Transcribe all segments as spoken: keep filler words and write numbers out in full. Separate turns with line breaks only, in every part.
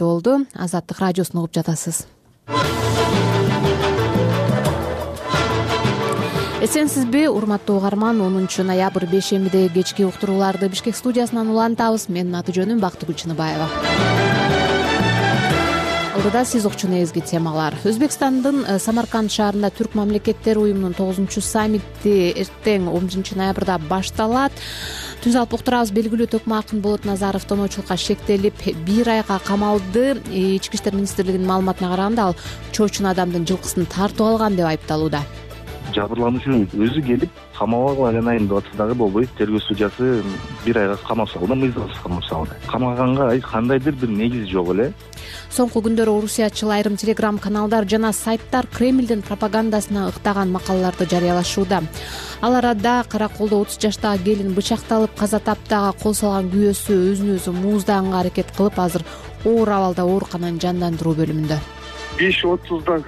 болду. Азаттык радиосун угуп жатасыз. Эсенсизби, урматтуу угарман? онунчу ноябрь бейшембидеги кечки уктурууларды Бишкек студиясынан улантабыз. Менин аты жөнүм Бактыгүл Чыныбаева. Алдыда сиз укчу негизги темалар. Өзбекстандын Самарканд шаарында Түрк мамлекеттери уюмунун тогузунчу саммити эртең он биринчи ноябрда башталат. Түз алып уктурабыз. Белгилүү Токмакын Болот Назаров тоноочулукка шектелип бир айга камалды. Ички иштер министрлигинин маалыматына караганда, ал чоочун адамдын жылкысын тартып алган деп айыпталууда.
Жабырлануучунун өзү келип камабагыла айланайын деп атса дагы болбойт. Тергөө судьясы бир айга камап салды, мыйзамсыз камап салды. Камаганга кандайдыр бир негиз жок эле.
Соңку күндөрү орусиячыл айрым телеграм каналдар жана сайттар Кремлдин пропагандасына ыктаган макалаларды жарыялашууда. Ал арада Караколдо отуз жаштагы келин бычакталып каза таптага кол салган күйөөсү өзүн өзү мууздаганга аракет кылып, азыр оор абалда оорукананын жандандыруу бөлүмүндө.
беш отузда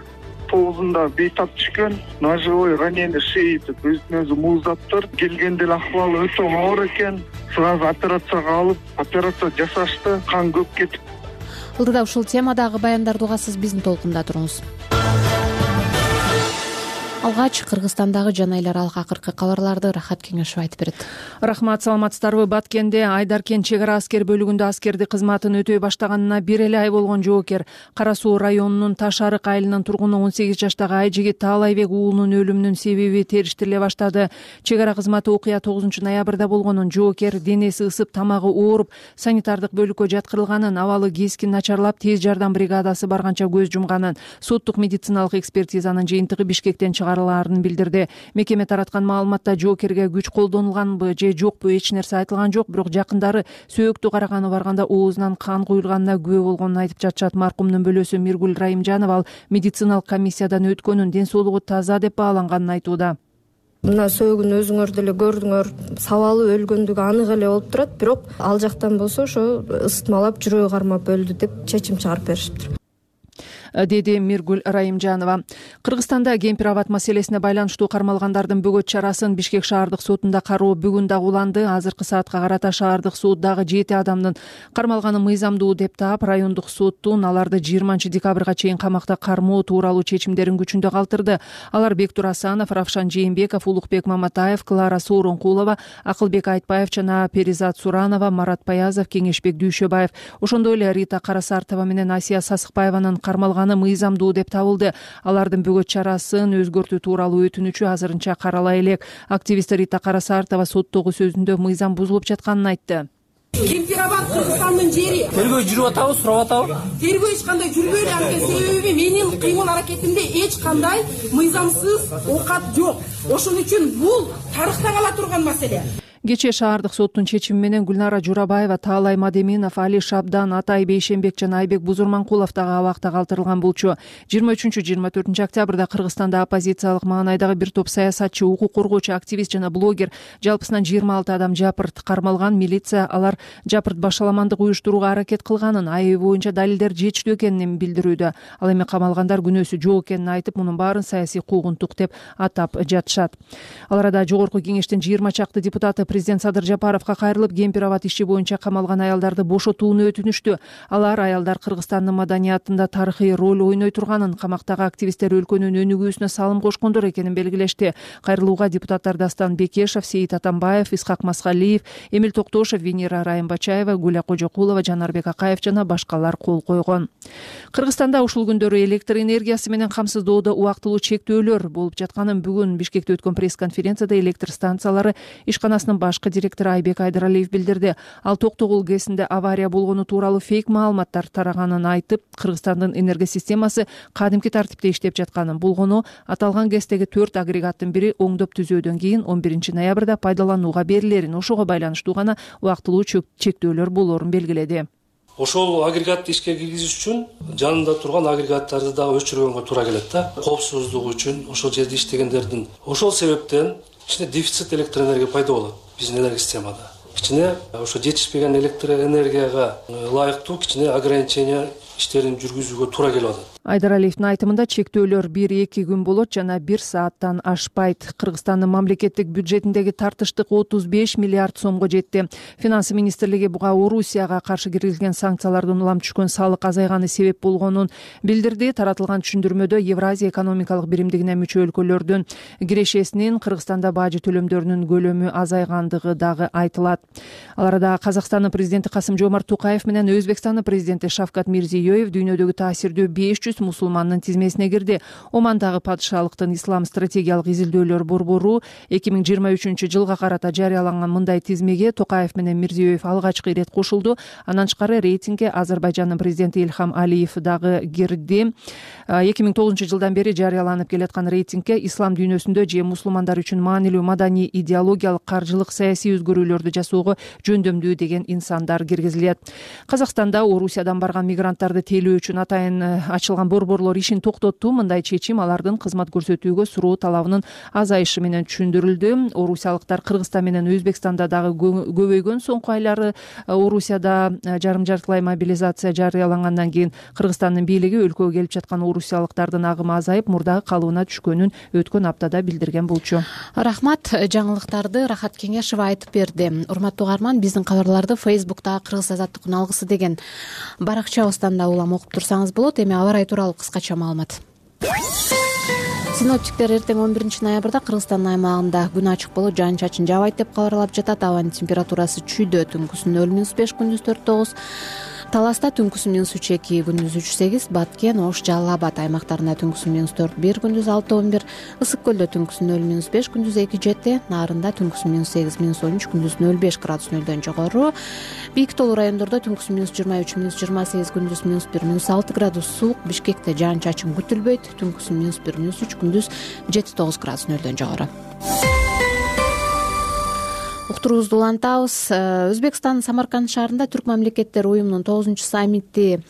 тогузунда бейтап түшкөн, ножевой ранение шеи деп өзүн өзү мууздаптыр. Келгенде эле акыбалы өтө оор экен. Сразу операцияга алып, операция жасашты, кан көп кетип.
Ылдыда ушул темадагы баяндарды угасыз, биздин толкунда туруңуз. Алгач Кыргызстандагы жана эл аралык акыркы кабарларды Рахат Кеңешов айтып берет.
Рахмат, саламатсыздарбы? Баткенде Айдаркен чек ара аскер бөлүгүндө аскердик кызматын өтөй баштаганына бир эле ай болгон жоокер Кара Суу районунун Таш Арык айылынын тургуну он сегиз жаштагы Айжигит Таалайбек уулунун өлүмүнүн себеби териштириле баштады. Чек ара кызматы окуя тогузунчу ноябрда болгонун, жоокер денеси ысып, тамагы ооруп, санитардык бөлүккө жаткырылганын, абалы кескин начарлап, тез жардам бригадасы барганча көз жумганын, соттук медициналык экспертизанын жыйынтыгы Бишкектен чыгарылганын билдирди. Мекеме тараткан маалыматта жоокерге күч колдонулганбы же жокпу эч нерсе айтылган жок, бирок жакындары сөөктү караганы барганда оозунан кан куйулганына күбө болгонун айтып жатышат. Маркумдун бөлөсү Миргүл Райымжанова ал медициналык комиссиядан өткөнүн, ден соолугу таза деп бааланганын айтууда.
Мына сөөгүн өзүңөр деле көрдүңөр, сабалы өлгөндүгү анык эле болуп турат, бирок ал жактан болсо ошо ысытмалап жүрөгү кармап өлдү деп чечим чыгарып беришиптир,
деди Миргүл Райымжанова. Кыргызстанда кемпир абат маселесине байланыштуу кармалгандардын бөгөт чарасын Бишкек шаардык сотунда кароо бүгүн дагы уланды. Азыркы саатка карата шаардык сот дагы жети адамдын кармалганы мыйзамдуу деп таап, райондук соттун аларды жыйырманчы декабрга чейин камакта кармоо тууралуу чечимдерин күчүндө калтырды. Алар Бектур Асанов, Равшан Жээнбеков, Улукбек Маматаев, Клара Сооронкулова, Акылбек Айтбаев жана Перизат Суранова, Марат Паязов, Кеңешбек Дүйшөбаев, ошондой эле Рита Карасартова менен Асия Сасыкбаеванын кармалганы мыйзамдуу деп табылды. Алардын бөгөт чарасын өзгөртүү тууралуу өтүнүчү азырынча каралай элек. Активист Рита Карасартова соттогу сөзүндө мыйзам бузулуп жатканын айтты.
Кемпир абат Кыргызстандын жери.
Тергөө жүрүп атабы, сурап атабы?
Тергөө эч кандай жүрбөйт. Анткени себеби менин кыймыл аракетимде эч кандай мыйзамсыз оокат жок. Ошон үчүн бул тарыхта кала турган маселе.
Кечээ шаардык соттун чечими менен Гүлнара Журабаева, Таалай Мадеминов, Али Шабдан, Атай Бейшембек жана Айбек Бузурманкулов дагы абакта калтырылган болчу. жыйырма үчүнчү жыйырма төртүнчү октябрда Кыргызстанда оппозициялык маанайдагы бир топ саясатчы, укук коргоочу, активист жана блогер, жалпысынан жыйырма алты адам жапырт кармалган. Милиция алар жапырт башаламандык уюштурууга аракет кылганын, айыбы боюнча далилдер жетиштүү экенин билдирүүдө. Ал эми камалгандар күнөөсү жок экенин айтып, мунун баарын саясий куугунтук деп атап жатышат. Ал арада Жогорку кеңештин жыйырма чакты депутаты президент Садыр Жапаровго кайрылып, кемпир абат иши боюнча камалган аялдарды бошотууну өтүнүштү. Алар аялдар Кыргызстандын маданиятында тарыхый роль ойной турганын, камактагы активисттер өлкөнүн өнүгүүсүнө салым кошкондор экенин белгилешти. Кайрылууга депутаттар Дастан Бекешев, Сейит Атамбаев, Исхак Маскалиев, Эмил Токтошев, Венера Райымбачаева, Гүля Кожокулова, Жанарбек Акаев жана башкалар кол койгон. Кыргызстанда ушул күндөрү электр энергиясы менен камсыздоодо убактылуу чектөөлөр болуп жатканын бүгүн Бишкекте өткөн пресс-конференцияда электр станциялары ишканасынын башкы директору Айбек Айдаралиев билдирди. Ал Токтогул ГЭСинде авария болгону тууралуу фейк маалыматтар тараганын айтып, Кыргызстандын энергосистемасы кадимки тартипте иштеп жатканын, болгону аталган ГЭСтеги төрт агрегаттын бири оңдоп түзөөдөн кийин он биринчи ноябрда пайдаланууга берилерин, ошого байланыштуу гана убактылуу чектөөлөр болорун белгиледи.
Ошол агрегатты ишке киргизиш үчүн жанында турган агрегаттарды дагы өчүргөнгө туура келет да. Коопсуздук үчүн ошол жерде иштегендердин. Ошол себептен кичине дефицит электр энергия пайда болот биздин энергия системада. Кичине ошо жетишпеген электр энергияга ылайыктуу кичине ограничение иштерин жүргүзүүгө туура келип атат.
Айдаралиевдин айтымында чектөөлөр бир эки күн болот жана бир сааттан ашпайт. Кыргызстандын мамлекеттик бюджетиндеги тартыштык отуз беш миллиард сомго жетти. Финансы министрлиги буга Орусияга каршы киргизилген санкциялардын улам түшкөн салык азайганы себеп болгонун билдирди. Таратылган түшүндүрмөдө Евразия экономикалык биримдигине мүчө өлкөлөрдүн кирешесинин Кыргызстанда бажы төлөмдөрүнүн көлөмү азайгандыгы дагы айтылат. Ал арада Казакстандын президенти Касым-Жомарт Токаев менен Өзбекстандын президенти Шавкат Мирзиёев дүйнөдөгү таасирдүү беш жүз мусулмандын тизмесине кирди. Омандагы падышалыктын ислам стратегиялык изилдөөлөр борбору эки миң жыйырма үчүнчү жылга карата жарыяланган мындай тизмеге Токаев менен Мирзиёев алгачкы ирет кошулду. Андан тышкары рейтингге Азербайжандын президенти Ильхам Алиев дагы кирди. эки миң тогузунчу жылдан бери жарыяланып келаткан рейтингге ислам дүйнөсүндө же мусулмандар үчүн маанилүү маданий, идеологиялык, каржылык, саясий өзгөрүүлөрдү жасоого жөндөмдүү деген инсандар киргизилет. Казакстанда Орусиядан барган мигранттарды тейлөө үчүн атайын ачылган борборлор ишин токтотту. Мындай чечим алардын кызмат көрсөтүүгө суроо талабынын азайышы менен түшүндүрүлдү. Орусиялыктар Кыргызстан менен Өзбекстанда дагы көбөйгөн. Соңку айлары Орусияда жарым жартылай мобилизация жарыялангандан кийин Кыргызстандын бийлиги өлкөгө келип жаткан орусиялыктардын агымы азайып, мурдагы калыбына түшкөнүн өткөн аптада билдирген болчу.
Рахмат, жаңылыктарды Рахат Кеңешова айтып берди. Урматтуу угарман, биздин кабарларды Фейсбуктагы Кыргыз азаттык алгысы деген баракчабыздан да улам окуп турсаңыз болот. Эми аба ырайы тууралуу кыскача маалымат. Синоптиктер эртең он биринчи ноябрда Кыргызстандын аймагында күн ачык болуп, жаан-чачын жаабайт деп кабарлап жатат. Абанын температурасы чүйдө түнкүсүн нөл минус беш, күндүз төрт тогуз. Таласта түнкүсүн минус үч эки, күндүз үч сегиз, Баткен, Ош, Жалал Абад аймактарында түнкүсүн минус төрт бир, күндүз алты он бир, Ысык көлдө түнкүсүн нөл минус беш, күндүз эки жети, Нарында түнкүсүн минус сегиз, минус он үч, күндүз нөл беш градус нөлдөн жогору. Бийик тоолуу райондордо түнкүсүн минус жыйырма үч, минус жыйырма сегиз, күндүз минус бир, минус алты градус суук. Бишкекте жаан-чачын күтүлбөйт, түнкүсүн минус бир, минус үч, күндүз жети тогуз градус нөлдөн жогору. Уктуруубузду улантабыз. Өзбекстандын Самарканд шаарында Түрк мамлекеттери уюмунун тогузунчу саммити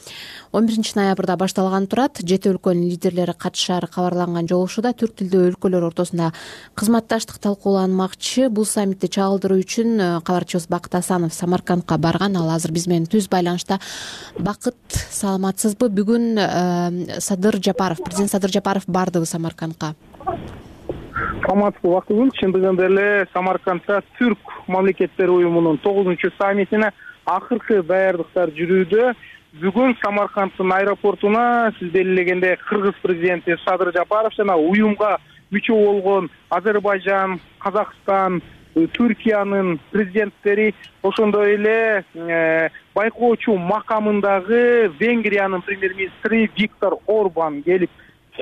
он биринчи ноябрда башталган турат. Жети өлкөнүн лидерлери катышаары кабарланган жолугушууда түрк тилдүү өлкөлөр ортосунда кызматташтык талкууланмакчы. Бул саммитти чагылдыруу үчүн кабарчыбыз Бакыт Асанов Самаркандка барган. Ал азыр биз менен түз байланышта. Бакыт, саламатсызбы? Бүгүн Садыр Жапаров, президент Садыр Жапаров бардыбы Самаркандка?
Саламатсызбы Бакытгүл, чындыгында эле Самаркандда Түрк мамлекеттери уюмунун тогузунчу саммитине акыркы даярдыктар жүрүүдө. Бүгүн Самарканддын аэропортуна сиз белгилегендей Кыргыз президенти Садыр Жапаров жана уюмга мүчө болгон Азербайжан, Казакстан, Түркиянын президенттери, ошондой эле байкоочу макамындагы Венгриянын премьер-министри Виктор Орбан келип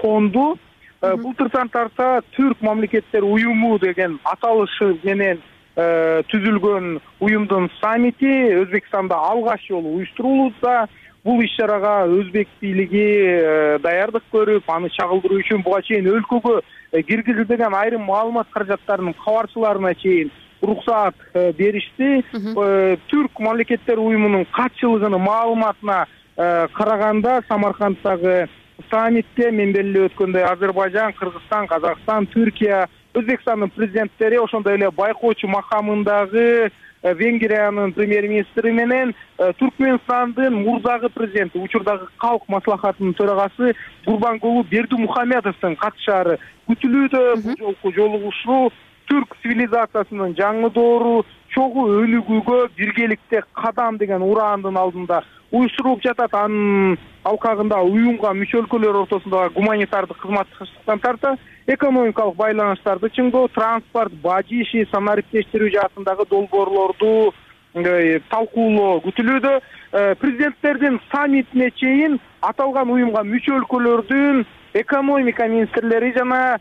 конду. Былтыртан тарта Түрк мамлекеттер уюму деген аталышы менен түзүлгөн уюмдун саммити Өзбекстанда алгач жолу уюштурулууда. Бул иш-чарага өзбек бийлиги даярдык көрүп, аны чагылдыруу үчүн буга чейин өлкөгө киргизилбеген айрым маалымат каражаттарынын кабарчыларына чейин уруксаат беришти. Түрк мамлекеттер уюмунун катчылыгынын маалыматына караганда Самарканддагы саммитте мен белгилеп өткөндөй Азербайжан, Кыргызстан, Казакстан, Түркия, Өзбекстандын президенттери, ошондой эле байкоочу макамындагы Венгриянын премьер-министри менен Түркмөнстандын мурдагы президенти, учурдагы калк маслахатынын төрагасы Гурбангулу Бердимухамедовдун катышаары күтүлүүдө. Бул жолку жолугушуу түрк цивилизациясынын жаңы доору, чогуу өнүгүүгө биргеликте кадам деген ураандын алдында уюштурулуп жатат. Анын алкагында уюмга мүчө өлкөлөр ортосундагы гуманитардык кызматташтыктан тарта экономикалык байланыштарды чыңдоо, транспорт, бажы иши, санариптештирүү жаатындагы долбоорлорду талкуулоо күтүлүүдө. Президенттердин саммитине чейин аталган уюмга мүчө өлкөлөрдүн экономика министрлери жана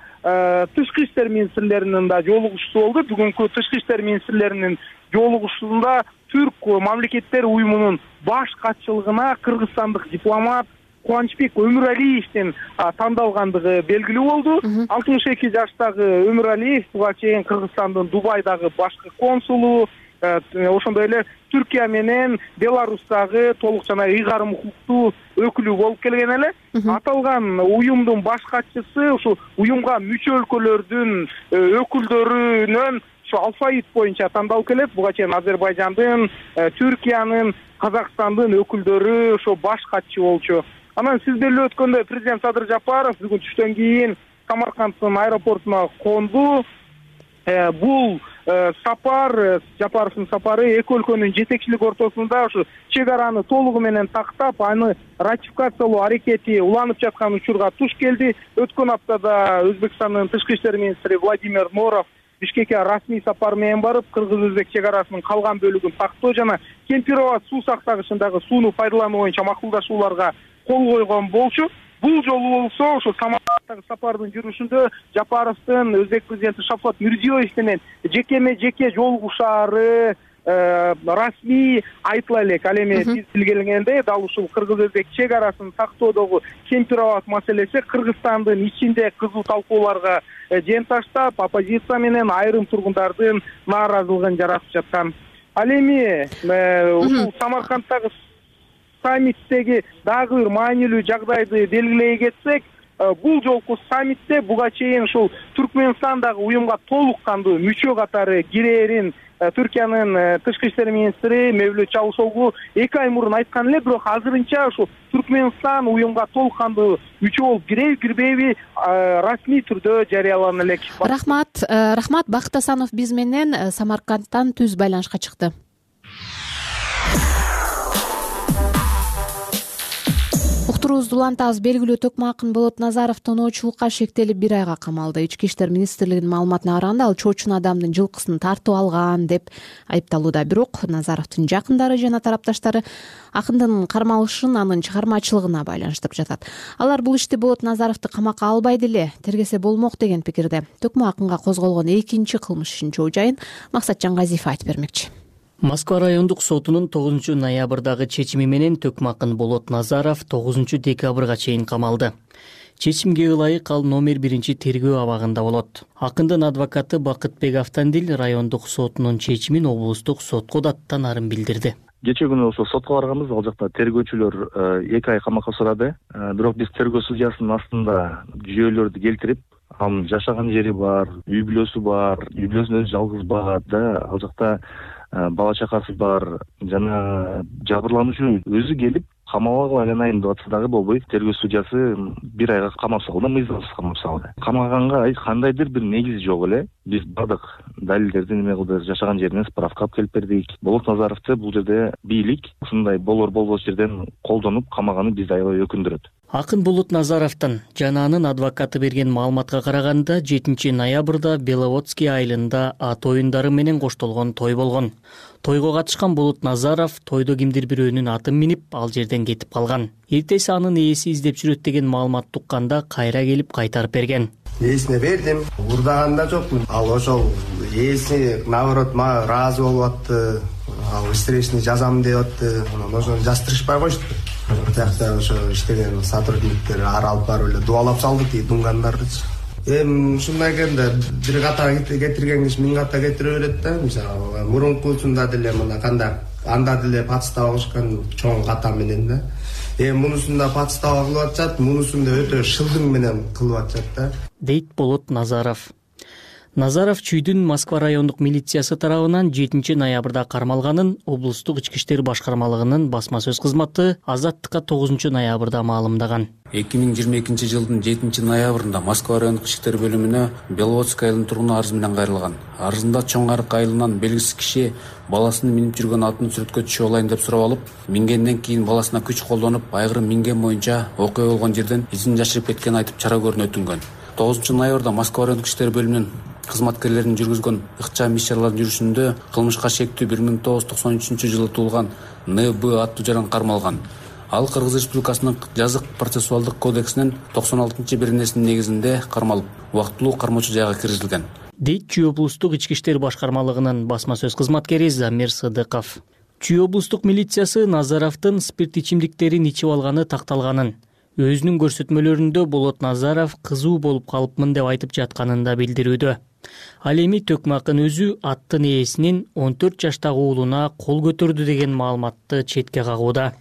тышкы иштер министрлеринин да жолугушуусу болду. Бүгүнкү тышкы иштер министрлеринин жолугушуусунда Түрк мамлекеттер уюмунун баш катчылыгына кыргызстандык дипломат Кубанычбек Өмүралиевдин тандалгандыгы белгилүү болду. алтымыш эки жаштагы Өмүралиев буга чейин Кыргызстандын Дубайдагы башкы консулу, ошондой эле Түркия менен Беларустагы толук жана ыйгарым укуктуу өкүлү болуп келген эле. Аталган уюмдун баш катчысы ушу уюмга мүчө өлкөлөрдүн өкүлдөрүнөн алфавит боюнча тандалып келет. Буга чейин Азербайжандын, Түркиянын, Казакстандын өкүлдөрү ошо баш катчы болчу. Анан сиз белип өткөндөй президент Садыр Жапаров бүгүн түштөн кийин Самарканддын аэропортуна конду. Бул сапар, Жапаровдун сапары эки өлкөнүн жетекчилик ортосунда ушу чек араны толугу менен тактап, аны ратификациялоо аракети уланып жаткан учурга туш келди. Өткөн аптада Өзбекстандын тышкы иштер министри Владимир Норов Бишкекке расмий сапар менен барып, кыргыз-өзбек чек арасынын калган бөлүгүн тактоо жана Кемпироват суу сактагычындагы сууну пайдалануу боюнча макулдашууларга кол койгон болчу. Бул жолу болсо ошо Самарканддагы сапардын жүрүшүндө Жапаровдун Өзбек президенти Шавкат Мирзиёев менен жекеме жеке жолугушаары расмий айтыла элек. Ал эми биз билгенгендей, дал ушул кыргыз-өзбек чек арасын тактоодогу Кемпироват маселеси Кыргызстандын ичинде кызуу талкууларга жен таштап, оппозиция менен айрым тургундардын нааразылыгын жаратып жаткан. Ал эми ушул Самарканддагы саммиттеги дагы бир маанилүү жагдайды белгилей кетсек, бул жолку саммитте буга чейин ушул Түркмөнстандагы уюмга толук кандуу мүчө катары кирээрин Түркиянын тышкы иштер министри Мевлют Чавушоглу эки ай мурун айткан эле, бирок азырынча ушул Түркмөнстан уюмга толук кандуу мүчө болуп кирейби, кирбейби расмий түрдө жарыялана элек.
Рахмат, рахмат. Бакыт Асанов биз менен Самаркандтан түз байланышка чыкты. Уктуруубузду улантабыз. Белгилүү төкмө акын Болот Назаров тоноочулукка шектелип бир айга камалды. Ички иштер министрлигинин маалыматына караганда, ал чоочун адамдын жылкысын тартып алган деп айыпталууда. Бирок Назаровдун жакындары жана тарапташтары акындын кармалышын анын чыгармачылыгына байланыштырып жатат. Алар бул ишти Болот Назаровду камакка албайды эле, тергесе болмок деген пикирде. Төкмө акынга козголгон экинчи кылмыш ишинин жоо жайын Максатжан Газиев айтып бермекчи.
Москва райондук сотунун тогузунчу ноябрдагы чечими менен төкмө акын Болот Назаров тогузунчу декабрга чейин камалды. Чечимге ылайык ал номер биринчи тергөө абагында болот. Акындын адвокаты Бакытбек Автандил райондук сотунун чечимин облустук сотко даттан арын билдирди.
Кечээ күнү ошо сотко барганбыз, ал жакта тергөөчүлөр эки ай камакка сурады. Бирок биз тергөө судьясынын астында жүйөлөрдү келтирип, анын жашаган жери бар, үй бүлөсү бар, үй бүлөсүн өзү жалгыз багат да, ал жакта бала чакасы бар жана жабырлануучу өзү келип камалгалы айнын айында атса дагы болбой, тергөө судьясы бир айга камап салды, мыйзамсыз камап салды. Камаганга кандайдыр бир негиз жок эле. Биз бардык далилдерди неме кылдык, жашаган жеринен справка алып келип бердик. Болот Назаровду бул жерде бийлик ушундай болор болбос жерден колдонуп камаганы бизди аябай өкүндүрөт.
Акын Болот Назаровдун жана анын адвокаты берген маалыматка караганда, жетинчи ноябрда Беловодский айылында ат оюндары менен коштолгон той болгон. Тойго катышкан Болот Назаров тойдо кимдир бирөөнүн атын минип, ал жерден кетип калган. Эртеси анын ээси издеп жүрөт деген маалымат тукканда кайра келип кайтарып берген.
Ээсине бердим, урдаганда жокмун. Ал ошол ээси наоборот мага ыраазы болуп атты. Ал встречный жазам деп атты. Анан ошону жаздырышпай кошту. Тиякта ошо иштеген сотрудниктер ары алып барып эле дубалап салды тиги дунгандардычы. Эми ушундай экен да, бир ката кетирген киши миң ката кетире берет да. Мисалы мурункусунда деле мына кандай анда деле подстава кылышкан чоң ката менен да. Эми мунусунда подстава кылып атышат, мунусунда өтө шылдың менен кылып атышат да,
дейт Болот Назаров. Назаров чүйдүн Москва райондук милициясы тарабынан жетинчи ноябрда кармалганын облустук ички иштер башкармалыгынын басма сөз кызматы Азаттыкка тогузунчу ноябрда маалымдаган.
эки миң жыйырма экинчи жылдын жетинчи ноябрында Москва райондук ички иштер бөлүмүнө Беловодский айылынын тургуну арыз менен кайрылган. Арызында Чоң Арык айылынан белгисиз киши баласынын минип жүргөн атын сүрөткө түшүп алайын деп сурап алып, мингенден кийин баласына күч колдонуп, айгырым минген боюнча окуя болгон жерден изин жашырып кеткенин айтып чара көрүнө өтүнгөн. тогузунчу ноябрда Москва райондук ички иштер бөлүмүнүн кызматкерлеринин жүргүзгөн ыкчам иш-чаралардын жүрүшүндө кылмышка шектүү бир миң тогуз жүз токсон үчүнчү жылы туулган Н Б аттуу жаран кармалган. Ал Кыргыз Республикасынын жазык процессуалдык кодексинин токсон алтынчы беренесинин негизинде кармалып, убактылуу кармоочу жайга киргизилген,
дейт Чүй облустук ички иштер башкармалыгынын басма сөз кызматкери Замир Сыдыков. Чүй облустук милициясы Назаровдун спирт ичимдиктерин ичип алганы такталганын, өзүнүн көрсөтмөлөрүндө Болот Назаров кызуу болуп калыпмын деп айтып жатканын да билдирүүдө. Ал эми төкмө акын өзү аттын ээсинин он төрт жаштагы уулуна кол көтөрдү деген маалыматты четке кагууда.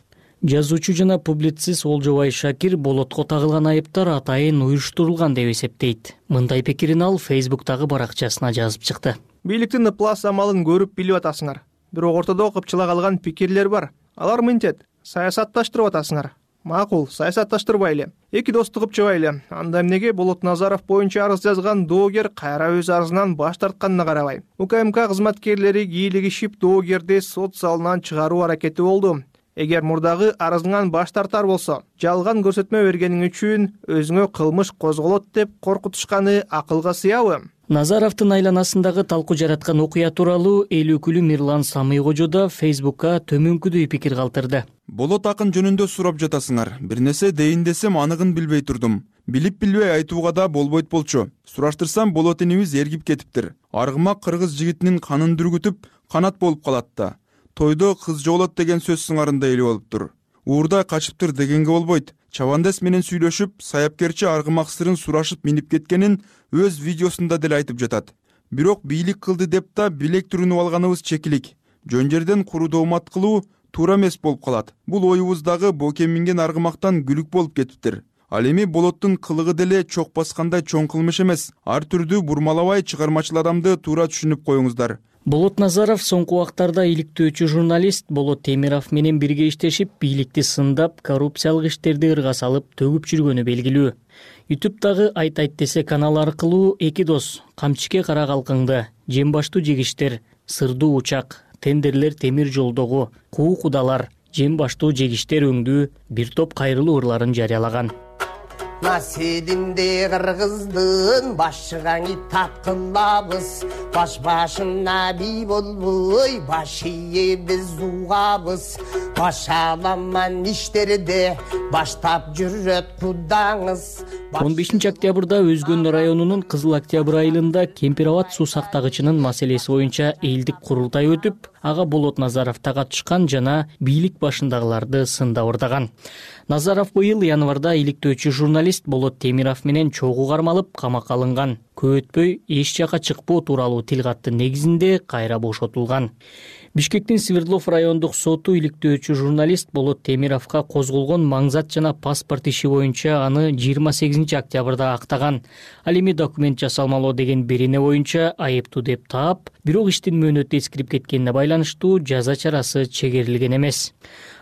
Жазуучу жана публицист Олжобай Шакир Болотко тагылган айыптар атайын уюштурулган деп эсептейт. Мындай пикирин ал Фейсбуктагы баракчасына жазып чыкты.
Бийликтин ыплас амалын көрүп билип атасыңар. Бирок ортодо кыпчыла калган пикирлер бар. Алар мынтет: саясатташтырып атасыңар. Макул, саясатташтырбайлы. Эки досту кылып чыгайлы. Анда эмнеге Болот Назаров боюнча арыз жазган доогер кайра өз арызынан баш тартканына карабай, УКМК кызматкерлери кийлигишип доогерди сот залынан чыгаруу аракети болду. Эгер мурдагы арызыңан баш тартар болсо, жалган көрсөтмө бергениң үчүн өзүңө кылмыш козголот деп коркутушканы акылга сыябы?
Назаровдун айланасындагы талкуу жараткан окуя тууралуу эл өкүлү Мирлан Самыйкожо да Фейсбукка төмөнкүдөй пикир калтырды.
Болот акын жөнүндө сурап жатасыңар. Бир нерсе дейин десем аныгын билбей турдум. Билип билбей айтууга да болбойт болчу. Сураштырсам Болот энибиз эргип кетиптир. Аргымак кыргыз жигитинин канын дүргүтүп, канат болуп калат да. Тойдо кыз жоголот деген сөз сыңарында эле болуптур. Уурдай качыптыр дегенге болбойт. Чабандес менен сүйлөшүп, саяпкерчи аргымак сырын сурашып минип кеткенин өз видеосунда деле айтып жатат. Бирок бийлик кылды деп да билек түрүнүп алганыбыз чекилик. Жөн жерден куру доомат кылуу туура эмес болуп калат. Бул оюбуздагы боке минген аргымактан күлүк болуп кетиптир. Ал эми Болоттун кылыгы деле чок баскандай чоң кылмыш эмес. Ар түрдүү бурмалабай чыгармачыл адамды туура түшүнүп коюңуздар.
Болот Назаров соңку убактарда иликтөөчү журналист Болот Темиров менен бирге иштешип, бийликти сындап, коррупциялык иштерди ырга салып төгүп жүргөнү белгилүү. ютубтагы Айт айт десе каналы аркылуу эки дос камчике кара калкыңды, жем баштуу жегиштер, сырдуу учак, тендерлер темир жолдогу, куу кудалар, жем баштуу жегиштер өңдүү бир топ кайрылуу ырларын жарыялаган.
Насединде кыргыздын башыгаңы таткылабыз, баш башына бий болбой баш ие биз угабыз, баш аламан иштерде баштап жүрөт кудаңыз.
он бешинчи октябрда Өзгөн районунун Кызыл Октябрь айылында Кемпир Абад суу сактагычынын маселеси боюнча элдик курултай өтүп, ага Болот Назаров катышкан жана бийлик башындагыларды сында ордаган. Назаров быйыл январда иликтөөчү журналист Болот Темиров менен чогуу кармалып, камакка алынган. Көп өтпөй эч жака чыкпоо тууралуу тил каттын негизинде кайра бошотулган. Бишкектин Свердлов райондук соту иликтөөчү журналист Болот Темировго козголгон маңзат жана паспорт иши боюнча аны жыйырма сегизинчи октябрда актаган. Ал эми документ жасалмалоо деген берене боюнча айыптуу деп таап, бирок иштин мөөнөтү эскирип кеткенине байланыштуу жаза чарасы чегерилген эмес.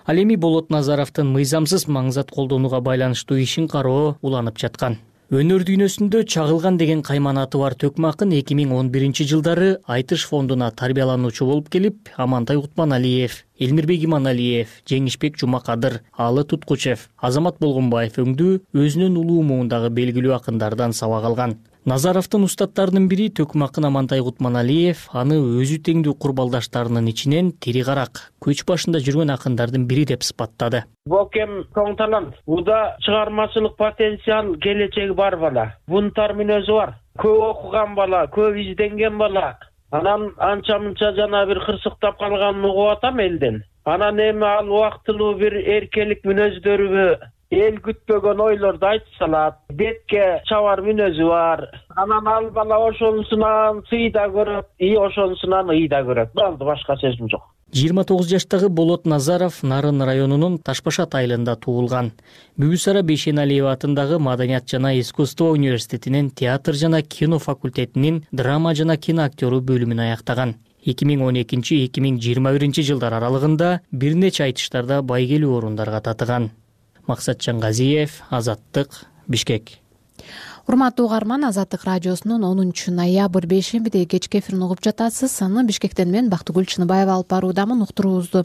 Ал эми Болот Назаровдун мыйзамсыз маңзат колдонууга байланыштуу ишин кароо уланып жаткан. Өнөр дүйнөсүндө чагылган деген кайманаты бар Төкмө акын эки миң он биринчи жылдары Айтыш фондуна тарбиялануучу болуп келип, Амантай Кутманалиев, Элмирбек Иманалиев, Жеңишбек Жумакадыр, Алы Туткучев, Азамат Болгонбаев өңдүү өзүнүн улуу муундагы белгилүү акындардан сабак алган. Назаровдун устаттарынын бири Төкмө акын Амантай Кутманалиев аны өзү теңдүү курбалдаштарынын ичинен тири карак, көч башында жүргөн акындардын бири деп сыпаттады.
Бокем чоң талант, буда чыгармачылык потенциал, келечеги бар бала. Бунтар мүнөзү бар. Көп окуган бала, көп изденген бала. Анан анча-мынча жана бир кырсыктап калганын угуп атам элден. Анан эми ал убактылуу бир эркелик мүнөздөрү, эл күтпөгөн ойлорду айтып салат. Бетке чабар мүнөзү бар. Анан ал бала ошонусунан сый да көрөт, и ошонусунан ый да көрөт. Болду, башка сөзүм жок.
жыйырма тогуз жаштагы Болот Назаров Нарын районунун Ташбашат айылында туулган. Бүгүсара Бейшеналиева атындагы Маданият жана искусство университетинин театр жана кино факультетинин драма жана кино актёру бөлүмүн аяктаган. эки миң он экинчи — эки миң жыйырма биринчи жылдар аралыгында бир нече айтыштарда байгелүү орундарга татыган. Максатжан Газиев, Азаттык, Бишкек.
Урматтуу угарман, Азаттык радиосунун онунчу ноябрь бейшембидеги кечки эфирин угуп жатасыз. Аны Бишкектен мен Бактыгүл Чыныбаева алып баруудамын. Уктуруубузду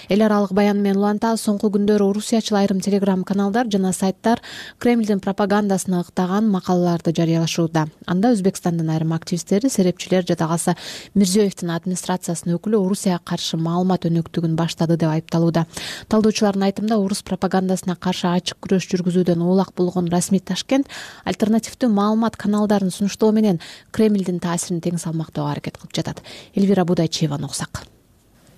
эл аралык баян менен улантабыз. Соңку күндөрү орусиячыл айрым телеграм каналдар жана сайттар Кремлдин пропагандасына ыктаган макалаларды жарыялашууда. Анда Өзбекстандын айрым активисттери, серепчилер жада калса Мирзиёевдин администрациясынын өкүлү Орусияга каршы маалымат өнөктүгүн баштады деп айыпталууда. Талдоочулардын айтымында орус пропагандасына каршы ачык күрөш жүргүзүүдөн оолак болгон расмий Ташкент альтернативдүү маалымат каналдарын сунуштоо менен Кремлдин таасирин тең салмактоого аракет кылып жатат. Элвира Будайчиеваны уксак.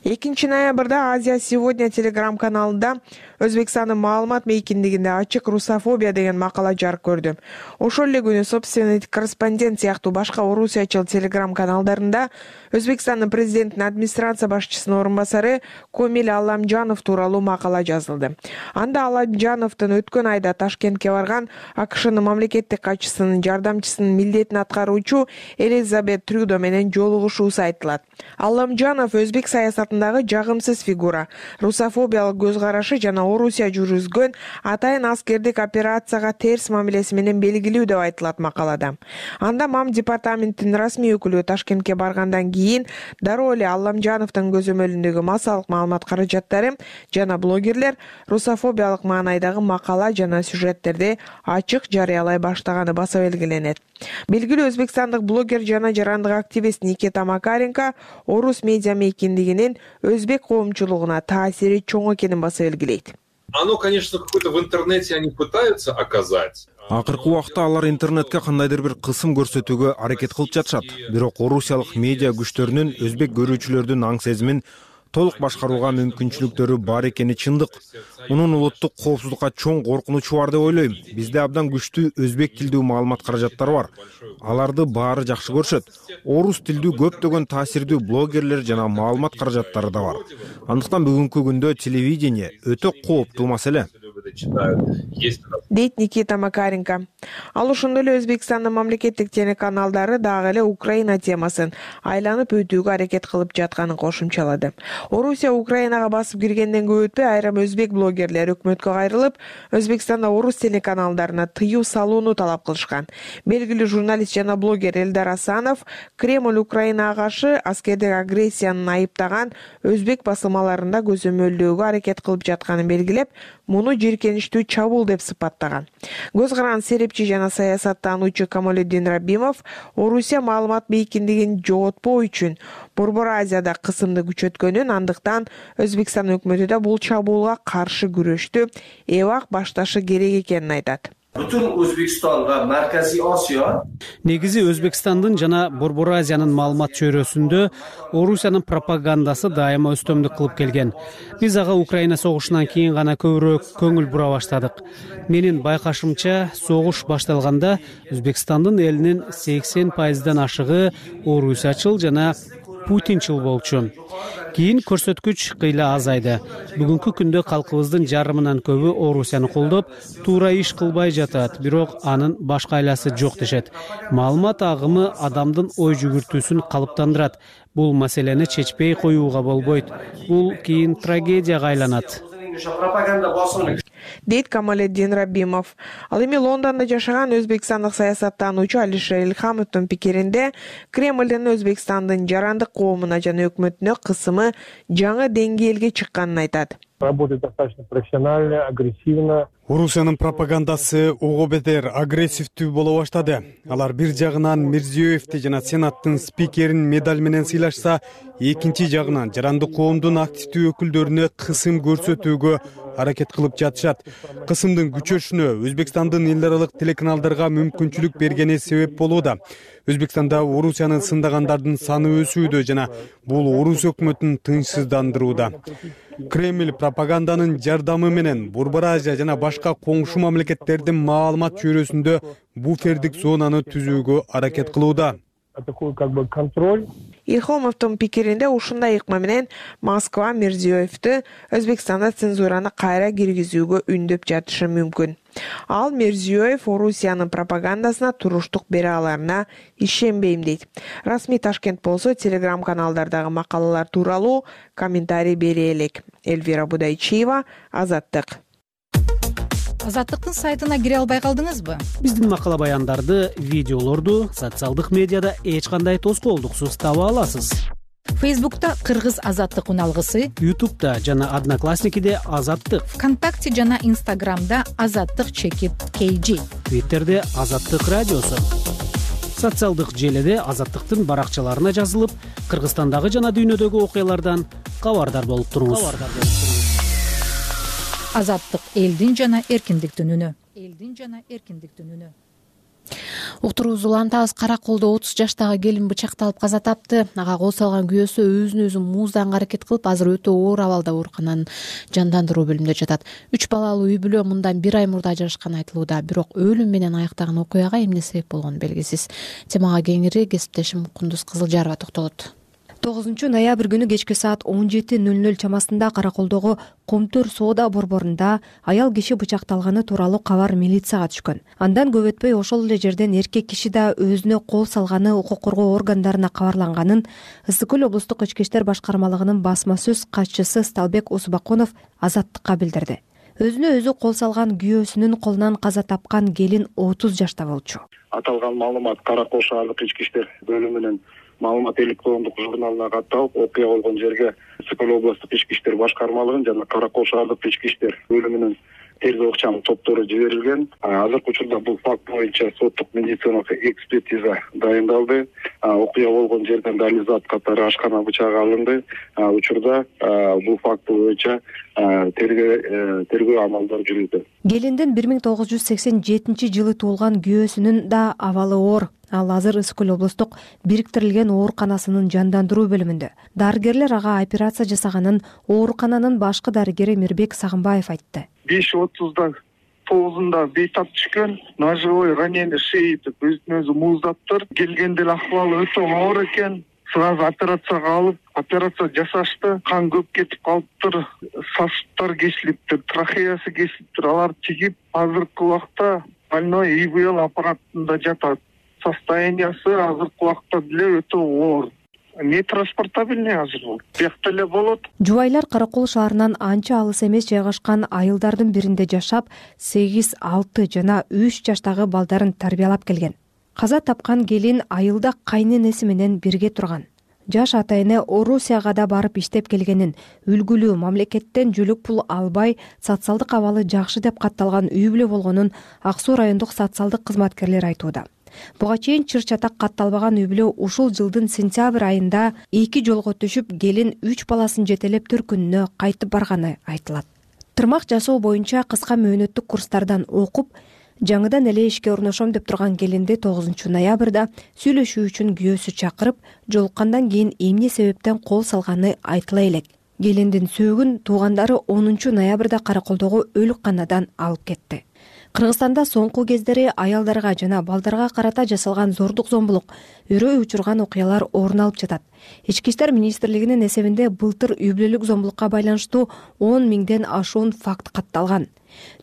экинчи ноябрда Азия сегодня телеграм-каналында Өзбекстандын маалымат мейкиндигинде ачык русофобия деген макала жарык көрдү. Ошол эле күнү собственный корреспондент сыяктуу башка орусиячыл телеграм каналдарында Өзбекстандын президентинин администрация башчысынын орун басары Комил Алламжанов тууралуу макала жазылды. Анда Алламжановдун өткөн айда Ташкентке барган АКШнын мамлекеттик катчысынын жардамчысынын милдетин аткаруучу Элизабет Трюдо менен жолугушуусу айтылат. Алламжанов өзбек саясатындагы жагымсыз фигура, русофобиялык көз карашы жана Орусия жүргүзгөн атайын аскердик операцияга терс мамилеси менен белгилүү деп айтылат макалада. Анда МАМ департаментинин расмий өкүлү Ташкентке баргандан кийин дароо эле Алламжановдун көзөмөлүндөгү массалык маалымат каражаттары жана блогерлер русофобиялык маанайдагы макала жана сюжеттерди ачык жарыялай баштаганы баса белгиленет. Белгилүү өзбекстандык блогер жана жарандык активист Никита Макаренко орус медиа мейкиндигинин өзбек коомчулугуна таасири чоң экенин баса белгилейт.
Оно, конечно, какое-то в интернете они пытаются оказать.
Акыркы убакта алар интернетке кандайдыр бир кысым көрсөтүүгө аракет кылып жатышат. Бирок орусиялык медиа күчтөрүнүн өзбек көрүүчүлөрдүн аң сезимин толук башкарууга мүмкүнчүлүктөрү бар экени чындык. Мунун улуттук коопсуздукка чоң коркунучу бар деп ойлойм. Бизде абдан күчтүү өзбек тилдүү маалымат каражаттары бар. Аларды баары жакшы көрүшөт. Орус тилдүү көптөгөн таасирдүү блогерлер жана маалымат каражаттары да бар. Андыктан бүгүнкү күндө телевидение өтө кооптуу маселе.
Дейт Никита Макаренко. Ал ошондой эле Өзбекстандын мамлекеттик телеканалдары дагы эле Украина темасын айланып өтүүгө аракет кылып жатканын кошумчалады. Орусия Украинага басып киргенден көп өтпөй айрым өзбек блогерлери өкмөткө кайрылып, Өзбекстанда орус телеканалдарына тыюу салууну талап кылышкан. Белгилүү журналист жана блогер Элдар Асанов Кремль Украинага каршы аскердик агрессияны айыптаган өзбек басылмаларында көзөмөлдөөгө аракет кылып жатканын белгилеп, муну жийиркеничтүү чабуул деп сыпаттаган. Көз каран серепчи жана саясаттануучу Камалетдин Рабимов Орусия маалымат мейкиндигин жоготпоо үчүн Борбор Азияда кысымды күчөткөнүн, андыктан Өзбекстан өкмөтү да бул чабуулга каршы күрөштү эбак башташы керек экенин айтат.
Бүтүн Өзбекстан ва Марказий Осиё
негизи Өзбекстандын жана Борбор Азиянын маалымат чөйрөсүндө Орусиянын пропагандасы дайыма өстөмдүк кылып келген. Биз ага Украина согушунан кийин гана көбүрөөк көңүл бура баштадык. Менин байкашымча, согуш башталганда Өзбекстандын элинин сексен пайыздан ашыгы орусиячыл жана Путинчил болчу. Кийин көрсөткүч кыйла азайды. Бүгүнкү күндө калкыбыздын жарымынан көбү Орусияны колдоп, туура иш кылбай жатат, бирок анын башка айласы жок дешет. Маалымат агымы адамдын ой жүгүртүүсүн калыптандырат. Бул маселени чечпей коюуга болбойт. Бул кийин трагедияга айланат.
Дейт Камалетдин Рабимов. Ал эми Лондондо жашаган өзбекстандык саясаттануучу Алишер Илхамовдун пикиринде Кремлдин Өзбекстандын жарандык коомуна жана өкмөтүнө кысымы жаңы деңгээлге чыкканын айтат.
Работает достаточно профессионально, агрессивно.
Орусиянын пропагандасы ого бетер агрессивдүү боло баштады. Алар бир жагынан Мирзиёевди жана Сенаттын спикерин медаль менен сыйлашса, экинчи жагынан жарандык коомдун активдүү өкүлдөрүнө кысым көрсөтүүгө аракет кылып жатышат. Кысымдын күчөшүнө Өзбекстандын эл аралык телеканалдарга мүмкүнчүлүк бергени себеп болууда. Өзбекстанда Орусияны сындагандардын саны өсүүдө жана бул орус өкмөтүн тынчсыздандырууда. Кремль пропаганданын жардамы менен Борбор Азия жана башка коңшу мамлекеттердин маалымат чөйрөсүндө буфердик зонаны түзүүгө аракет кылууда.
Такой как бы контроль.
Илхомовдун пикиринде ушундай ыкма менен Москва Мирзиёевди Өзбекстанда цензураны кайра киргизүүгө үндөп жатышы мүмкүн. Ал Мирзиёев Орусиянын пропагандасына туруштук бере аларына ишенбейм дейт. Расмий Ташкент болсо телеграм каналдардагы макалалар тууралуу комментарий бере элек. Эльвира Будайчиева, Азаттык.
Азаттыктын сайтына кире албай калдыңызбы?
Биздин макала баяндарды, видеолорду социалдык медиада эч кандай тоскоолдуксуз таба аласыз.
Фейсбукта Кыргыз Азаттык уналгысы,
Ютубта жана Одноклассникиде Азаттык,
ВКонтакте жана Инстаграмда Азаттык чекит кей жи,
Твиттерде Азаттык радиосу. Социалдык желеде Азаттыктын баракчаларына жазылып, Кыргызстандагы жана дүйнөдөгү окуялардан кабардар болуп туруңуз.
Азаттык элдин жана эркиндиктин үнү. Элдин жана эркиндиктин үнү.
Уктуруубузду улантабыз. Кара Колдо отуз жаштагы келин бычакталып каза тапты. Ага кол салган күйөөсү өзүн өзү муузданга аракет кылып, азыр өтө оор абалда оорукананын жандандыруу бөлүмүндө жатат. Үч балалуу үй бүлө мындан бир ай мурда ажырашканы айтылууда, бирок өлүм менен аяктаган окуяга эмне себеп болгону белгисиз. Темага кеңири кесиптешим Кундуз Кызылжарова токтолот.
тогузунчу ноябрь күнү кечки саат он жети ноль ноль чамасында Кара Колдогу Комтөр соода борборунда аял киши бычакталганы тууралуу кабар милицияга түшкөн. Андан көп өтпөй ошол эле жерден эркек киши да өзүнө кол салганы укук коргоо органдарына кабарланганын Ысык көл облустук ички иштер башкармалыгынын басма сөз катчысы Сталбек Усбакунов Азаттыкка билдирди. Өзүнө өзү кол салган күйөөсүнүн колунан каза тапкан келин отуз жашта болчу.
Аталган маалымат Кара Кол шаардык ички иштер бөлүмүнүн маалымат электрондук журналына катталып, окуя болгон жерге Ысык көл облустук ички иштер башкармалыгынын жана Кара Кол шаардык ички иштер бөлүмүнүн тергөө ыкчам топтору жиберилген. Азыркы учурда бул факт боюнча соттук медициналык экспертиза дайындалды. Окуя болгон жерден далилзат катары ашкана бычагы алынды. Учурда бул факт боюнча тергөө тергөө амалдары жүрүүдө.
Келиндин бир миң тогуз жүз сексен жетинчи жылы туулган күйөөсүнүн да абалы оор. Ал азыр Ысык көл облустук бириктирилген ооруканасынын жандандыруу бөлүмүндө. Дарыгерлер ага операция жасаганын оорукананын башкы дарыгери Мирбек Сагынбаев айтты.
беш отузда тогузунда бейтап түшкөн, ножевой ранение шеи деп өзүн өзү мууздаптыр. Келгенде эле акыбалы өтө оор экен. Сразу операцияга алып, операция жасашты. Кан көп кетип калыптыр, сосудтар кесилиптир, трахеясы кесилиптир. Алар чигип, азыркы убакта больной и вэ эл аппаратында жатат. Состояниясы азыркы убакта деле өтө оор. Не транспортабельный азыр бул. Биякта эле болот.
Жубайлар Кара Кол шаарынан анча алыс эмес жайгашкан айылдардын биринде жашап, сегиз, алты жана үч жаштагы балдарын тарбиялап келген. Каза тапкан келин айылда кайненеси менен бирге турган. Жаш атайыны Орусияга да барып иштеп келгенин, үлгүлүү мамлекеттен жөлөк пул албай, социалдык абалы жакшы деп катталган үй бүлө болгонун Ак Суу райондук социалдык кызматкерлер айтууда. Буга чейин чыр-чатак катталбаган үй бүлө ушул жылдын сентябрь айында эки жолго түшүп, келин үч баласын жетелеп төркүнүнө кайтып барганы айтылат. Тырмак жасоо боюнча кыска мөөнөттүк курстардан окуп, жаңыдан эле ишке орношом деп турган келинди тогузунчу ноябрда сүйлөшүү үчүн күйөөсү чакырып, жолуккандан кийин эмне себептен кол салганы айтыла элек. Келиндин сөөгүн туугандары онунчу ноябрда Кара Колдогу өлүкканадан алып кетти. Кыргызстанда соңку кездери аялдарга жана балдарга карата жасалган зордук зомбулук, үрөй учурган окуялар орун алып жатат. Ички иштер министрлигинин эсебинде былтыр үй бүлөлүк зомбулукка байланыштуу он миңден ашуун факт катталган.